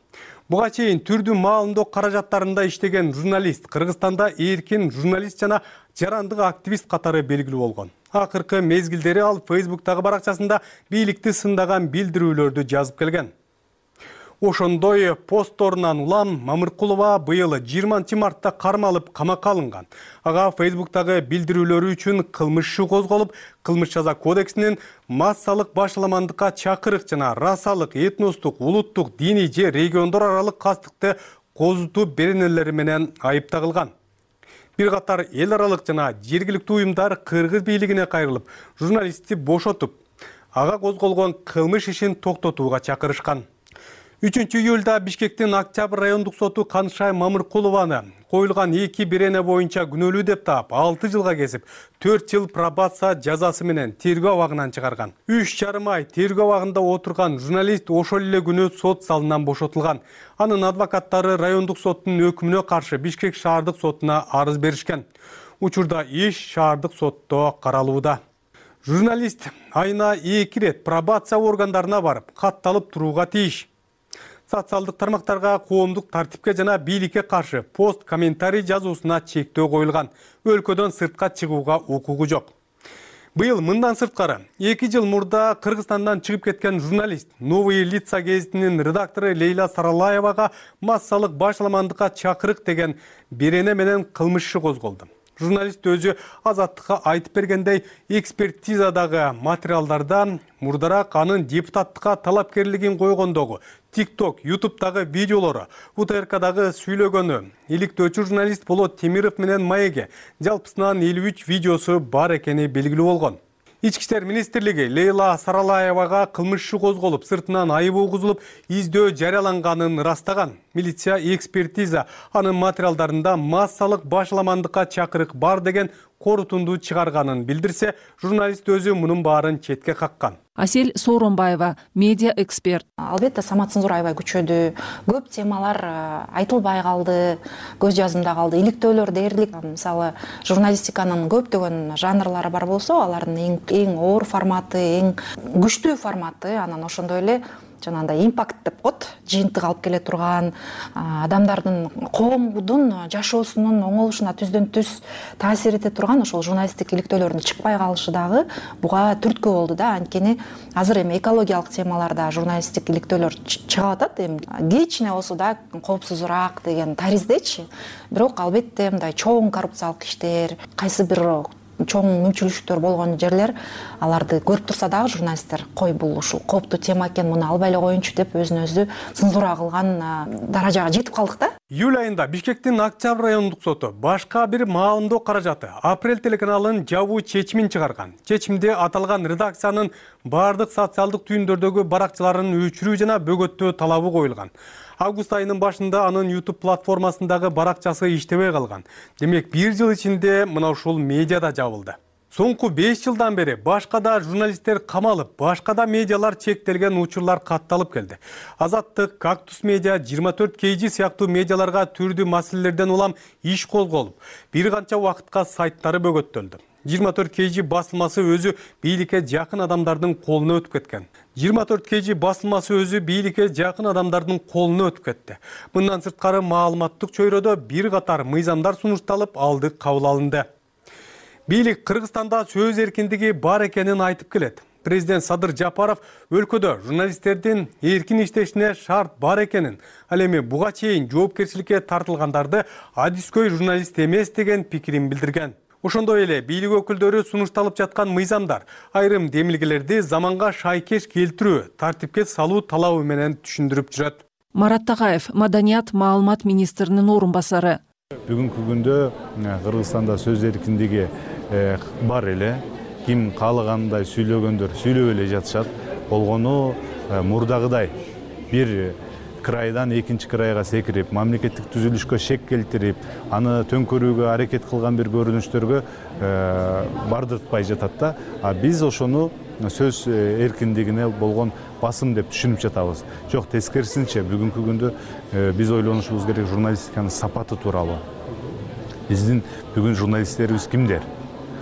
Буга чейин түрдүү маалымдоо каражаттарында иштеген журналист Кыргызстанда эркин журналист жана жарандык активист катары белгилүү болгон. Акыркы мезгилдери ал Facebook'тагы баракчасында бийликти сындаган билдирүүлөрдү жазып келген. Ошондой постторунан улам Мамыркулова быйыл 20 мартта кармалып камакка алынган. Ага Facebook'тагы билдирүүлөрү үчүн кылмыш иши козголуп, кылмыш жаза кодексинин массалык башаламандыкка чакырык жана расалык, этностук, улуттук, диний же региондор аралык кастыкты козутуу беренелери менен айыпталган. Бир катар эл аралык жана жергиликтүү уюмдар кыргыз бийлигине кайрылып, журналистти бошотуп, ага козголгон кылмыш ишин токтотууга чакырышкан. 3-июлда Бишкектин Октябрь райондук соту Канышай Мамыркулованы коюлган 2 берене боюнча күнөөлүү деп таап 6 жылга кесип, 4 жыл пробация жазасы менен тергөө абагынан чыгарган. 3,5 ай тергөө абагында отурган журналист ошол эле күнү сот залынан бошотулган. Анын адвокаттары райондук соттун өкүмүнө каршы Бишкек шаардык сотуна арыз беришкен. Учурда иш шаардык сотто каралууда. Журналист айына 2 рет пробация органдарына барып, катталып турууга тийиш. Социалдык тармактарга коомдук тартипке жана бийликке каршы пост комментарий жазуусуна чектөө коюлган. Өлкөдөн сыртка чыгууга укугу жок. Быйыл мындан сырткары 2 жыл мурда Кыргызстандан чыгып кеткен журналист Новые лица гезитинин редактору Лейла Саралаевага массалык башаламандыкка чакырык деген берене менен кылмыш иши козголду. Журналист өзү Азаттыкка айтып бергендей, экспертизадагы материалдарда мурдараак анын депутаттыкка талапкерлигин койгондогу TikTok, YouTube'дагы видеолору, УТРКдагы сүйлөгөнү, иликтөөчү журналист Болот Темиров менен Маеге жалпысынан 53 видеосу бар экени белгилүү болгон. Ички иштер министрлиги Лейла Саралаевага кылмыш иши козголуп, сыртынан айып угузулуп, издөө жарыяланганын ырастаган. Милиция экспертиза анын материалдарында массалык башаламандыкка чакырык бар деген корутунду чыгарганын билдирсе, журналист өзү мунун баарын четке каккан. Асель Сооронбаева, медиа эксперт. Албетте самоцензура аябай күчөдү. Көп темалар айтылбай калды, көз жазымда калды. Иликтөөлөр дээрлик. Мисалы, журналистиканын көптөгөн жанрлары бар болсо, алардын эң оор форматы, эң күчтүү форматы, анан ошондой эле жанагындай импакт деп коет, жыйынтык алып келе турган, адамдардын коомдун жашоосунун оңолушуна түздөн түз таасир эте турган ошол журналисттик иликтөөлөрдүн чыкпай калышы дагы буга түрткү болду да. Анткени азыр эми экологиялык темаларда журналисттик иликтөөлөр чыгып атат, эми кичине болсо да коопсузураак деген тариздечи. Бирок албетте мындай чоң коррупциялык иштер, кайсы бир чоң мүмкүнчүлүктөр болгон жерлер аларды көрүп турса дагы журналисттер кой бул ушул кооптуу тема экен, муну албай эле коеюнчу деп өзүн өзү цензура кылган даражага жетип калдык да. Июль айында Бишкектин Октябрь райондук соту башка бир маалымдоо каражаты Апрель телеканалынын жабуу чечимин чыгарган. Чечимде аталган редакциянын бардык социалдык түйүндөрдөгү баракчаларын өчүрүү жана бөгөттөө талабы коюлган. Август айынын башында анын YouTube платформасындагы баракчасы иштебей калган. Демек, 1 жыл ичинде мына ушул медиада жабылды. Соңку 5 жылдан бери башка да журналисттер камалып, башка да медиалар чектелген учурлар катталып келди. Азаттык, Кактус медиа, 24 KG сыяктуу медиаларга түрдүү маселелерден улам иш козголуп, бир канча убакытка сайттары бөгөттөлдү. 24 KG басылмасы өзү бийликке жакын адамдардын колуна өтүп кеткен. 24 KG басылмасы өзү бийликке жакын адамдардын колуна өтүп кетти. Мындан сырткары маалыматтык чөйрөдө бир катар мыйзамдар сунушталып, алды кабыл алынды. Бийлик Кыргызстанда сөз эркиндиги бар экенин айтып келет. Президент Садыр Жапаров өлкөдө журналисттердин эркин иштешине шарт бар экенин, ал эми буга чейин жоопкерчиликке тартылгандарды адискөй журналист эмес деген пикирин билдирген. Ошондой эле бийлик өкүлдөрү сунушталып жаткан мыйзамдар айрым демилгелерди заманга шайкеш келтирүү, тартипке салуу талабы менен түшүндүрүп жүрөт. Марат Тагаев, маданият маалымат министринин орун басары. Бүгүнкү күндө Кыргызстанда сөз эркиндиги бар эле, ким каалагандай сүйлөгөндөр сүйлөп эле жатышат. Болгону мурдагыдай бир крайдан экинчи крайга секирип, мамлекеттик түзүлүшкө шек келтирип, аны төңкөрүүгө аракет кылган бир көрүнүштөргө бардыртпай жатат да. Биз ошону сөз эркиндигине болгон басым деп түшүнүп жатабыз. Жок, тескерисинче бүгүнкү күндө биз ойлонушубуз керек журналистиканын сапаты тууралуу. Биздин бүгүн журналисттерибиз кимдер?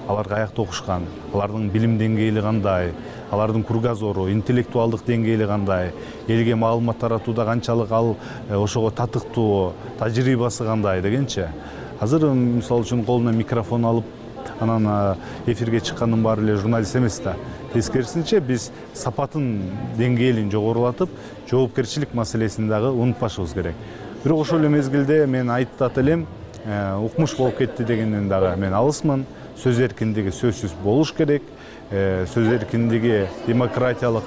Алар каякта окушкан? Алардын билим деңгээли кандай? Алардын кругозору, интеллектуалдык деңгээли кандай? Элге маалымат таратууда канчалык ал ошого татыктуу, тажрыйбасы кандай дегенчи. Азыр мисалы үчүн колуна микрофон алып, анан эфирге чыккандын баары эле журналист эмес да. Тескерисинче биз сапатын деңгээлин жогорулатып, жоопкерчилик маселесин дагы унутпашыбыз керек. Бирок ошол эле мезгилде мен айтат элем, укмуш болуп кетти дегенден дагы мен алысмын. Сөз эркиндиги сөзсүз болуш керек. Сөз эркиндиги демократиялык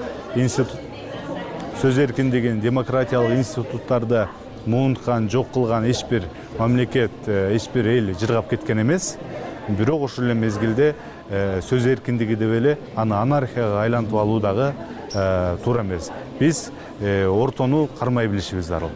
демократиялык институттарды муунткан, жок кылган эч бир мамлекет, эч бир эл жыргап кеткен эмес. Бирок ошол эле мезгилде сөз эркиндиги деп эле аны анархияга айлантып алуу дагы туура эмес. Биз ортону кармай билишибиз зарыл.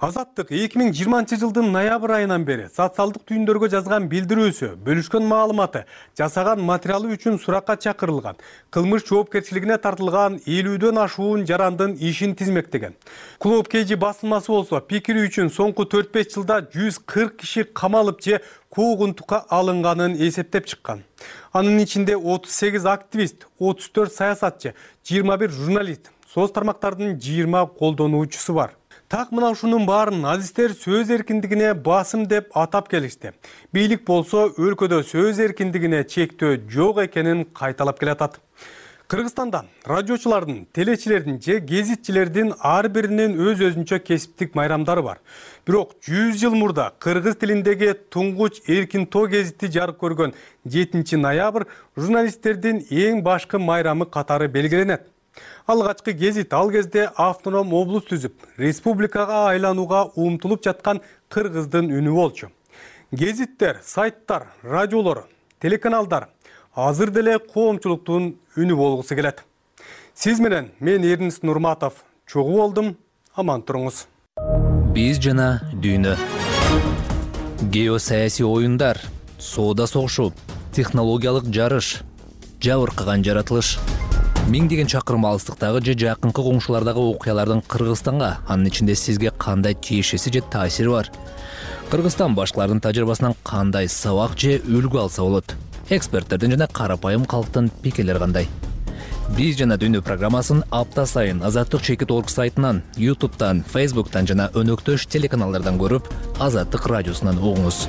Азаттык 2020-жылдын ноябрь айынан бери социалдык түйүндөргө жазган билдирүүсү, бөлүшкөн маалыматы, жасаган материалы үчүн суракка чакырылган, кылмыш жоопкерчилигине тартылган 50дөн ашуун жарандын ишин тизмектеген. Клуб KG басылмасы болсо, пикири үчүн соңку 4-5 жылда 140 киши камалып же куугунтукка алынганын эсептеп чыккан. Анын ичинде 38 активист, 34 саясатчы, 21 журналист, соц тармактардын 20 колдонуучусу бар. Так мына ушунун баарын азиздер сөз эркиндигине басым деп атап келишти. Бийлик болсо өлкөдө сөз эркиндигине чектөө жок экенин кайталап келатат. Кыргызстанда радиочулардын, телечилердин же гезитчилердин ар биринин өз-өзүнчө кесиптик майрамдары бар. Бирок 100 жыл мурда кыргыз тилиндеги туңгуч Эркин тоо гезити жарык көргөн 7 ноябрь журналисттердин эң башкы майрамы катары белгиленет. Алгачкы гезит ал кезде автоном облус түзүп, республикага айланууга умтулуп жаткан кыргыздын үнү болчу. Гезиттер, сайттар, радиолор, телеканалдар азыр деле коомчулуктун үнү болгусу келет. Сиз менен мен Эрнис Нурматов чогуу болдум. Аман туруңуз. Биз жана дүйнө. Геосаясий оюндар, соода согушу, технологиялык жарыш, жабыркаган жаратылыш. Миңдеген чакырым алыстыктагы же жакынкы коңшулардагы окуялардын Кыргызстанга, анын ичинде сизге кандай тиешеси же таасири бар? Кыргызстан башкалардын тажрыйбасынан кандай сабак же үлгү алса болот? Эксперттердин жана карапайым калктын пикирлери кандай? Биз жана дүйнө программасын апта сайын Азаттык.org сайтынан, YouTube'дан, Facebook'тан жана өнөктөш телеканалдардан көрүп, Азаттык радиосунан угуңуз.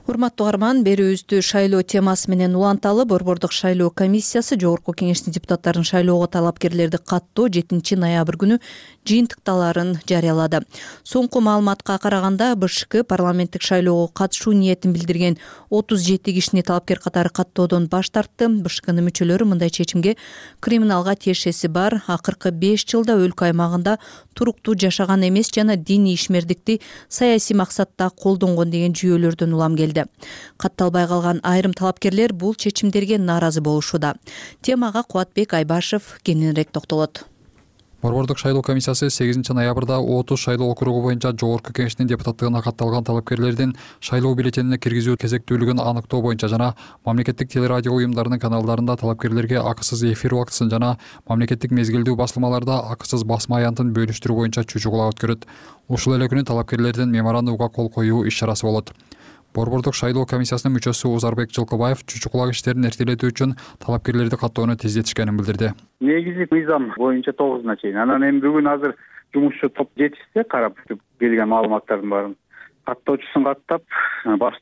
Урматтуу угарман, берүүбүздү шайлоо темасы менен уланталы. Борбордук шайлоо комиссиясы Жогорку Кеңештин депутаттарын шайлоого талапкерлерди каттоо 7 ноябрь күнү жыйынтыкталарын жарыялады. Соңку маалыматка караганда БШК парламенттик шайлоого катышуу ниетин билдирген 37 кишини талапкер катары каттоодон баш тартты. БШКнын мүчөлөрү мындай чечимге криминалга тиешеси бар, акыркы 5 жылда өлкө аймагында туруктуу жашаган эмес жана диний ишмердикти саясий максатта колдонгон деген жүйөлөрдөн улам келди. Катталбай калган айрым талапкерлер бул чечимдерге нааразы болушууда. Темага Кубатбек Айбашев кененирээк токтолот. Борбордук шайлоо комиссиясы 8 ноябрда 30 шайлоо округу боюнча Жогорку Кеңештин депутаттыгына катталган талапкерлердин шайлоо бюллетенине киргизүү кезектүүлүгүн аныктоо боюнча жана мамлекеттик телерадио уюмдарынын каналдарында талапкерлерге акысыз эфир убактысын жана мамлекеттик мезгилдүү басылмаларда акысыз басма аянтын бөлүштүрүү боюнча чучугула өткөрөт. Ушул эле күнү талапкерлердин меморандумга кол коюу иш-чарасы болот. Борбордук шайлоо комиссиясынын мүчөсү Узарбек Жылкыбаев чучугулак иштерин эртелетүү үчүн талапкерлерди каттоону тездетишкенин билдирди. Негизи мыйзам боюнча 9-уна чейин. Анан эми бүгүн азыр жумушчу топ жетишсе, карап келген маалыматтардын баарын каттоочусун каттап, баш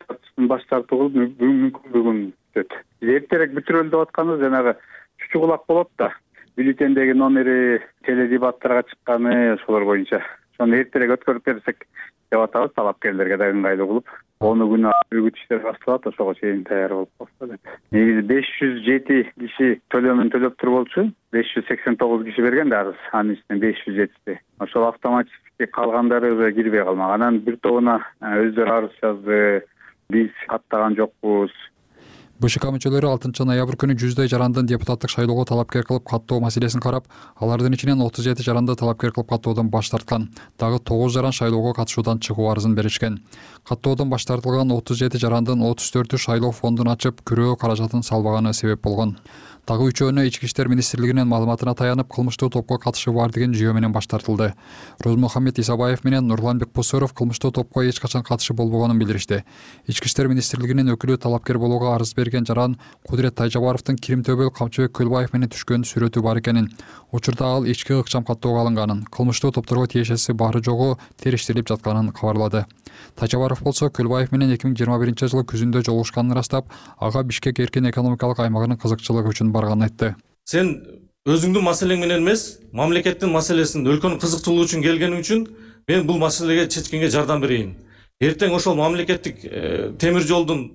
тартуу кылып бүгүн бүтөт. Эртерээк бүтүрөлү деп атканыбыз жанагы чучугулак болот да. Бюллетендеги номери, теледебаттарга чыкканы ошолор боюнча. Ошону эртерээк өткөрүп берсек деп атабыз, талапкерлерге да ыңгайлуу кылып. Оны күнү үгүт иштер башталат, ошого чейин даяр болуп калса деп. Негизи 507 киши төлөмүн төлөп туруп болчу. 589 киши берген да арыз, анын ичинен 507. Ошол автоматически калгандары уже кирбей калмак. Анан бир тобуна өздөрү арыз жазды. Биз каттаган жокпуз. БШК мүчөлөрү 6 ноябрь күнү 100дөй жарандын депутаттык шайлоого талапкер кылып каттоо маселесин карап, алардын ичинен 37 жаранды талапкер кылып каттоодон баш тарткан. Дагы 9 жаран шайлоого катышуудан чыгуу арызын беришкен. Каттоодон баш тартылган 37 жарандын 34-ү шайлоо фондун ачып, күрөө каражатын салбаганы себеп болгон. Дагы 3-өөнө Ички иштер министрлигинин маалыматына таянып, кылмыштуу топко катышы бар деген жүйө менен баш тартылды. Розмухаммед Исабаев менен Нурлан Бекбусуров кылмыштуу топко эч качан катышы болбогонун билдиришти. Ички иштер министрлигинин өкүлү талапкер болууга арыз берген жаран Кудурет Тайжабаровдун Кирим Төбөл Камчыбек Көлбаев менен түшкөн сүрөтү бар экенин, учурда ал ички ыкчам каттоого алынганын, кылмыштуу топторго тиешеси бары жогу териштирилип жатканын кабарлады. Тайжабаров болсо Көлбаев менен 2021-жылы күзүндө жолугушканын ырастап, ага Бишкек эркин экономикалык аймагынын кызыкчылыгы үчүн барганын айтты. Сен өзүңдүн маселең менен эмес, мамлекеттин маселесин, өлкөнүн кызыкчылыгы үчүн келгениң үчүн мен бул маселеге чечкенге жардам берейин. Эртең ошол мамлекеттик темир жолдун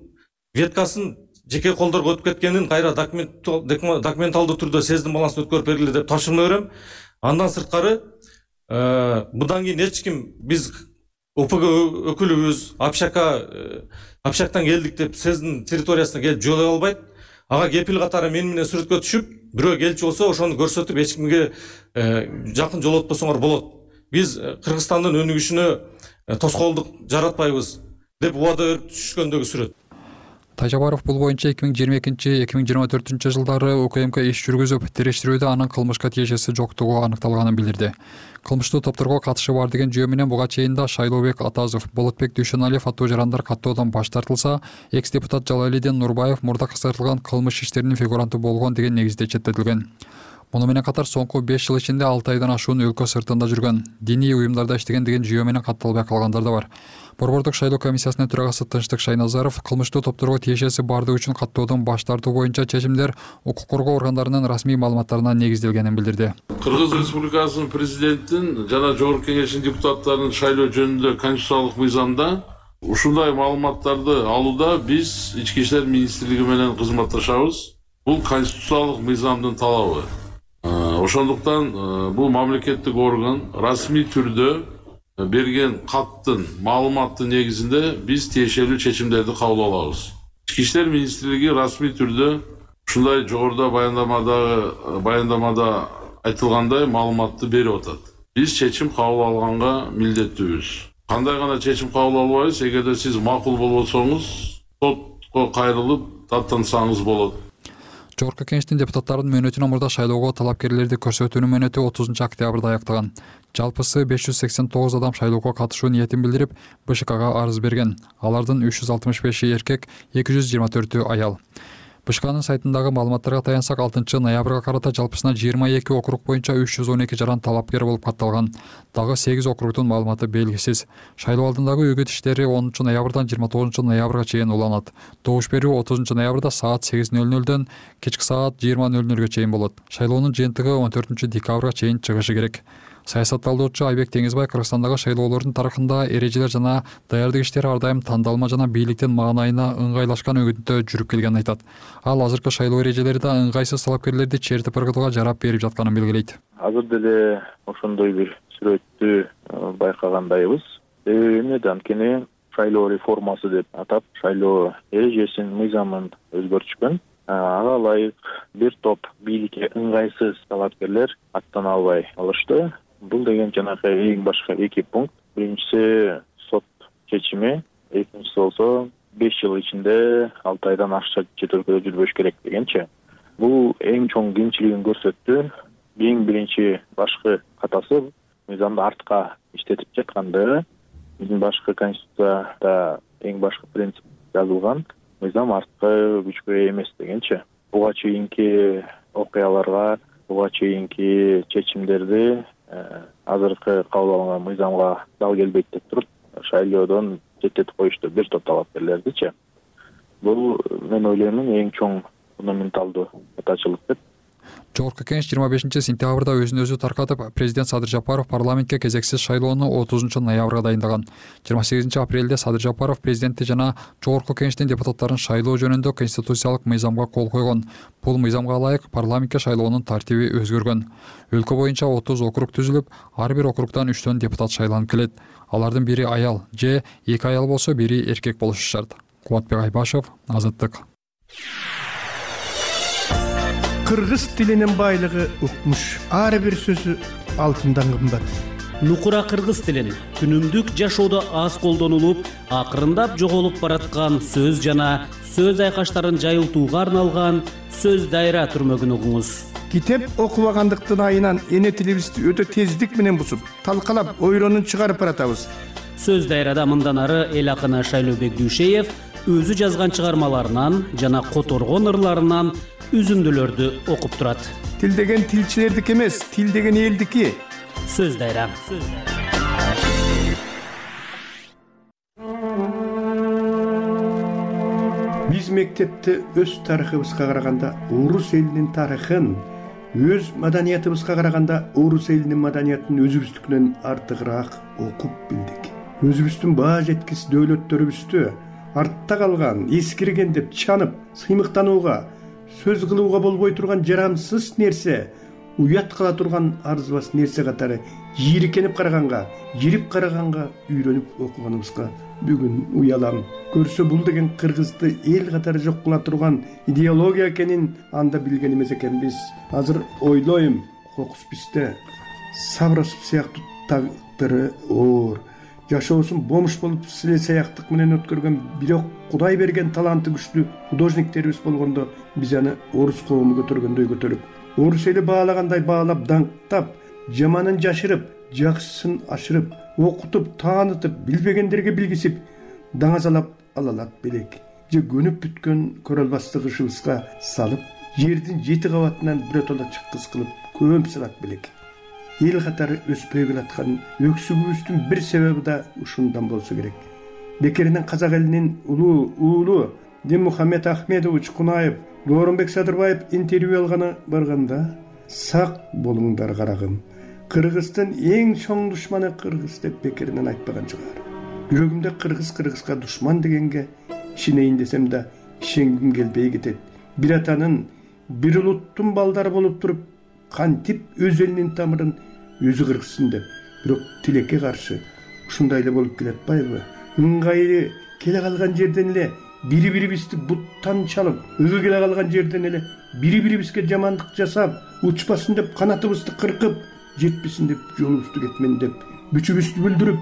веткасын жеке колдорго өтүп кеткенин кайра документалдуу түрдө сездим балансын өткөрүп бергиле деп тапшырма берем. Андан сырткары мындан кийин эч ким биз ОПГ өкүлүбүз, Общактан келдик деп сиздин территориясына келип жолой албайт. Ага кепил катары мен менен сүрөткө түшүп, бирөө келчү болсо ошону көрсөтүп эч кимге жакын жолотпосоңор болот. Биз Кыргызстандын өнүгүшүнө тоскоолдук жаратпайбыз деп убада берип түшүшкөндөгү сүрөт. Тайжабаров бул боюнча 2022-2024 жылдары УКМК иш жүргүзүп, териштирүүдө анын кылмышка тиешеси жоктугу аныкталганын билдирди. Кылмыштуу топторго катышы бар деген жүйө менен буга чейин да Шайлообек Атазов, Болотбек Дүйшөналиев аттуу жарандар каттоодон баш тартылса, экс-депутат Жалалидин Нурбаев мурда кыскартылган кылмыш иштеринин фигуранты болгон деген негизде четтетилген. Муну менен катар соңку 5 жыл ичинде 6 айдан ашуун өлкө сыртында жүргөн, диний уюмдарда иштеген деген жүйө менен катталбай калгандар да бар. Борбордук шайлоо комиссиясынын төрагасы Тынчтык Шайназаров кылмыштуу топторго тиешеси бардыгы үчүн каттоодон баш тартуу боюнча чечимдер укук коргоо органдарынын расмий маалыматтарына негизделгенин билдирди. Кыргыз Республикасынын президентин жана Жогорку Кеңештин депутаттарынын шайлоо жөнүндө конституциялык мыйзамда ушундай маалыматтарды алууда биз Ички иштер министрлиги менен кызматташабыз. Бул конституциялык мыйзамдын талабы. Ошондуктан бул мамлекеттик орган расмий түрдө берген каттын маалыматтын негизинде биз тиешелүү чечимдерди кабыл алабыз. Ички иштер министрлиги расмий түрдө ушундай жогоруда баяндамада айтылгандай маалыматты берип атат. Биз чечим кабыл алганга милдеттүүбүз. Кандай гана чечим кабыл албайбыз, эгерде сиз макул болбосоңуз, сотко кайрылып даттансаңыз болот. Жогорку Кеңештин депутаттарынын мөөнөтүнө мурда шайлоого талапкерлерди көрсөтүүнүн мөөнөтү 30 октябрда аяктаган. Жалпысы 589 адам шайлоого катышуу ниетин билдирип, БШКга арыз берген. Алардын 365 эркек, 224 аял. БШКнын сайтындагы маалыматтарга таянсак, 6 ноябрга карата жалпысына 22 округ боюнча 312 жаран талапкер болуп катталган. Дагы 8 округдун маалыматы белгисиз. Шайлоо алдындагы үгүт иштери 10 ноябрдан 29 ноябрга чейин уланат. Добуш берүү 30 ноябрда саат 8:00дөн кечки саат 20:00га чейин болот. Шайлоонун жыйынтыгы 14 декабрга чейин чыгышы керек. Саясатталдоочу Айбек Теңизбай Кыргызстандагы шайлоолордун тарыхында эрежелер жана даярдык иштери ар дайым тандалма жана бийликтин маанайына ыңгайлашкан өгүттө жүрүп келгенин айтат. Ал азыркы шайлоо эрежелери да ыңгайсыз талапкерлерди чертип ыргытууга жарап берип жатканын белгилейт. Азыр деле ошондой бир сүрөттү байкагандайбыз. Эмне да анткени шайлоо реформасы деп атап, шайлоо эрежесин, мыйзамын өзгөртүшкөн. Ага ылайык бир топ бийликке ыңгайсыз талапкерлер аттана албай калышты. Бул деген жанагы эң башка 2 пункт. Биринчиси сот чечими, экинчиси болсо 5 жыл ичинде 6 айдан ашча чет өлкөдө жүрбөш керек дегенчи. Бул эң чоң кемчилигин көрсөттү. Эң биринчи башкы катасы мыйзамды артка иштетип жатканды. Биздин башкы конституцияда эң башкы принцип жазылган. Мыйзам артка күчкө эмес дегенчи. Буга чейинки окуяларга, буга чейинки чечимдерди азыркы кабыл алынган мыйзамга дал келбейт деп туруп, шайлоодон четтетип коюшту бир топ талапкерлердичи. Бул мен ойлоймун эң чоң фундаменталдуу катачылык деп. Жогорку Кеңеш 25 сентябрда өзүн өзү таркатып, президент Садыр Жапаров парламентке кезексиз шайлоону 30 ноябрга дайындаган. 28 апрелде Садыр Жапаров президентти жана Жогорку Кеңештин депутаттарын шайлоо жөнүндө конституциялык мыйзамга кол койгон. Бул мыйзамга ылайык парламентке шайлоонун тартиби өзгөргөн. Өлкө боюнча 30 округ түзүлүп, ар бир округдан 3 депутат шайланып келет. Алардын бири аял же 2 аял болсо, бири эркек болушу шарт. Кубатбек Айбашев, Азаттык. Кыргыз тилинин байлыгы укмуш. Ар бир сөзү алтындан кымбат. Нукура кыргыз тилин күнүмдүк жашоодо аз колдонулуп, акырындап жоголуп бараткан сөз жана сөз айкаштарын жайылтууга арналган сөз дайра түрмөгүн угуңуз. Китеп окубагандыктын айынан эне тилибизди өтө тездик менен бусуп, талкалап, ойронун чыгарып баратабыз. Сөз дайрада мындан ары эл акыны Шайлообек Дүйшеев өзү жазган чыгармаларынан жана которгон ырларынан үзүндүлөрдү окуп турат. Тил деген тилчилердики эмес, тил деген элдики. Сөз дайра. Биз мектепте өз тарыхыбызга караганда орус элинин тарыхын, өз маданиятыбызга караганда орус элинин маданиятын өзүбүздүкүнөн артыгыраак окуп билдик. Өзүбүздүн баа жеткис дөөлөттөрүбүздү артта калган, эскирген деп чанып, сыймыктанууга, сөз кылууга болбой турган жарамсыз нерсе, уят кыла турган арзыбас нерсе катары жийиркенип караганга, үйрөнүп окуганыбызга бүгүн уялам. Көрсө бул деген кыргызды эл катары жок кыла турган идеология экенин анда билген эмес экенбиз. Азыр ойлойм, кокус бизде Сабросов сыяктуу тагдыры оор, жашоосун бомуш болуп силе саяктык менен өткөргөн, бирок Кудай берген таланты күчтүү художниктерибиз болгондо биз аны орус коому көтөргөндөй көтөрүп, орус эли баалагандай баалап, даңктап, жаманын жашырып, жакшысын ашырып, окутуп, таанытып, билбегендерге билгисип, даңазалап алалат белек. Же көнүп бүткөн көрө албастык ышыбызга салып, жердин 7 кабатынан биротоло чыккыс кылып, көмүп салат белек. Эл катары өспөй келаткан өксүгүбүздүн бир себеби да ушундан болсо керек. Бекеринен казак элинин улуу уулу Динмухаммед Ахмедович Кунаев, Дооронбек Садырбаев интервью алганы барганда, сак болуңдар карагым, кыргыздын эң чоң душманы кыргыз деп бекеринен айтпаган чыгар. Жүрөгүмдө кыргызга душман дегенге ишенейин десем да ишенгим келбей кетет. Бир атанын, бир улуттун балдары болуп туруп, кантип өз элинин тамырын өзү кыргызсын деп, бирок тилекке каршы ушундай эле болуп келатпайбы? Ыңгайы келе калган жерден эле бири-бирибизди буттан чалып, өгө келе калган жерден эле бири-бирибизге жамандык жасап, учпасын деп канатыбызды кыркып, жетпесин деп жолубузду кетмен деп, бүчүбүздү бүлдүрүп,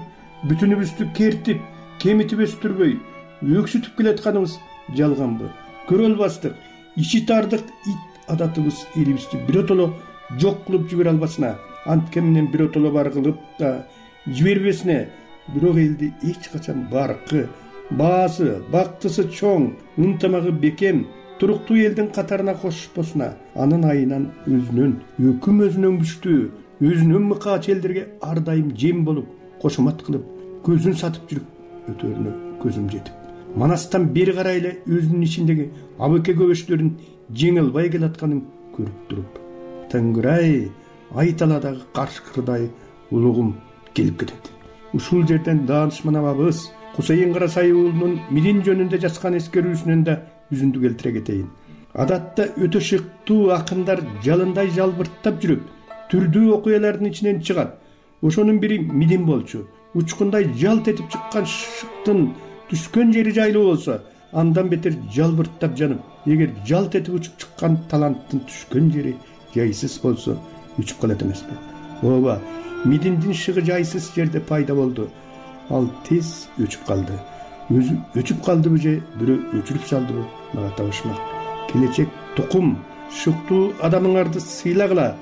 бүтүнүбүздү кертип, кемитип өстүрбөй, өксүтүп келатканыбыз жалганбы? Көрө албастык, ичи тардык ит адатыбыз элибизди биротоло жок кылып жибере албасына, антке менен биротоло бар кылып да жибербесине, бирок элди эч качан баркы, баасы, бактысы чоң, ынтымагы бекем, туруктуу элдин катарына кошпосуна, анын айынан өзүнөн, өкүм өзүнөн күчтүү, өзүнөн мыкаач элдерге ар дайым жем болуп, кошомат кылып, көзүн сатып жүрүп өтөрүнө көзүм жетип, манастан бери карай эле өзүнүн ичиндеги абыке көбөчтөрүн жеңе албай келатканын көрүп туруп, Тангырай, айталадагы каршкырдай улугум келип кетет. Ушул жерден даанышман абабыз Кусейин Карасай уулунун Мирин жөнүндө жазган эскерүүсүнөн да үзүндү келтире кетейин. Адатта өтө шыктуу акындар жалындай жалбырттап жүрүп, түрдүү окуялардын ичинен чыгат. Ошонун бири Мидин болчу. Учкундай жалт этип чыккан шыктын түшкөн жери жайлуу болсо, андан бетер жалбырттап жанып, эгер жалт этип учуп чыккан таланттын түшкөн жери жайсыз болсо, өчүп калат эмеспи? Ооба, Мидиндин шыгы жайсыз жерде пайда болду. Ал тез өчүп калды. Өзү өчүп калдыбы же бирөө өчүрүп салдыбы, мага табышмак. Келечек тукум, шыктуу адамыңарды сыйлагыла,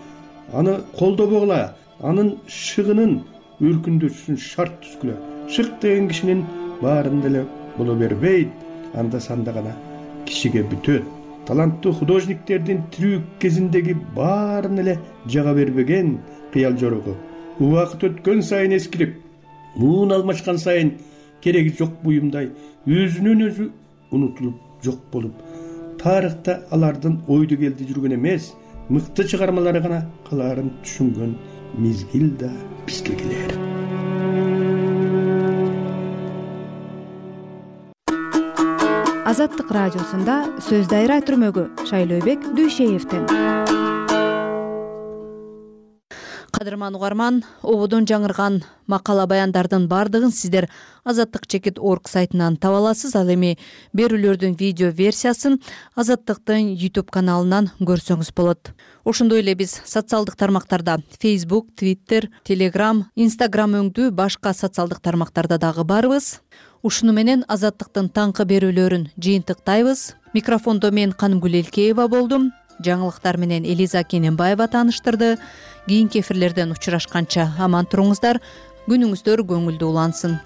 аны колдобогула, анын шыгынын өркүндөшүн шарт түзгүлө. Шык деген кишинин баарын деле боло бербейт, анда санда гана кишиге бүтөт. Таланттуу художниктердин тирүү кезиндеги баарын эле жага бербеген кыял жорогу. Убакыт өткөн сайын эскирип, муун алмашкан сайын кереги жок буюмдай өзүнөн өзү унутулуп жок болуп, тарыхта алардын ойду келди жүргөн эмес, мыкты чыгармалары гана калаарын түшүнгөн мезгил да бизге келер. Азаттык радиосунда сөз дайра түрмөгү Шайлообек Дүйшеевден. кадырман угарман, ободон жаңырган макала баяндардын баардыгын сиздер azattik.org сайтынан таба аласыз. Ал эми берүүлөрдүн видео версиясын Азаттыктын YouTube каналынан көрсөңүз болот. Ошондой эле биз социалдык тармактарда Facebook, Twitter, Telegram, Instagram өңдүү башка социалдык тармактарда дагы барбыз. Ушуну менен Азаттыктын таңкы берүүлөрүн жыйынтыктайбыз. Микрофондо мен Канымгүл Элкеева болдум. Жаңылыктар менен Элиза Кененбаева тааныштырды. Кийинки эфирлерден учурашканча аман туруңуздар. Күнүңүздөр көңүлдүү улансын.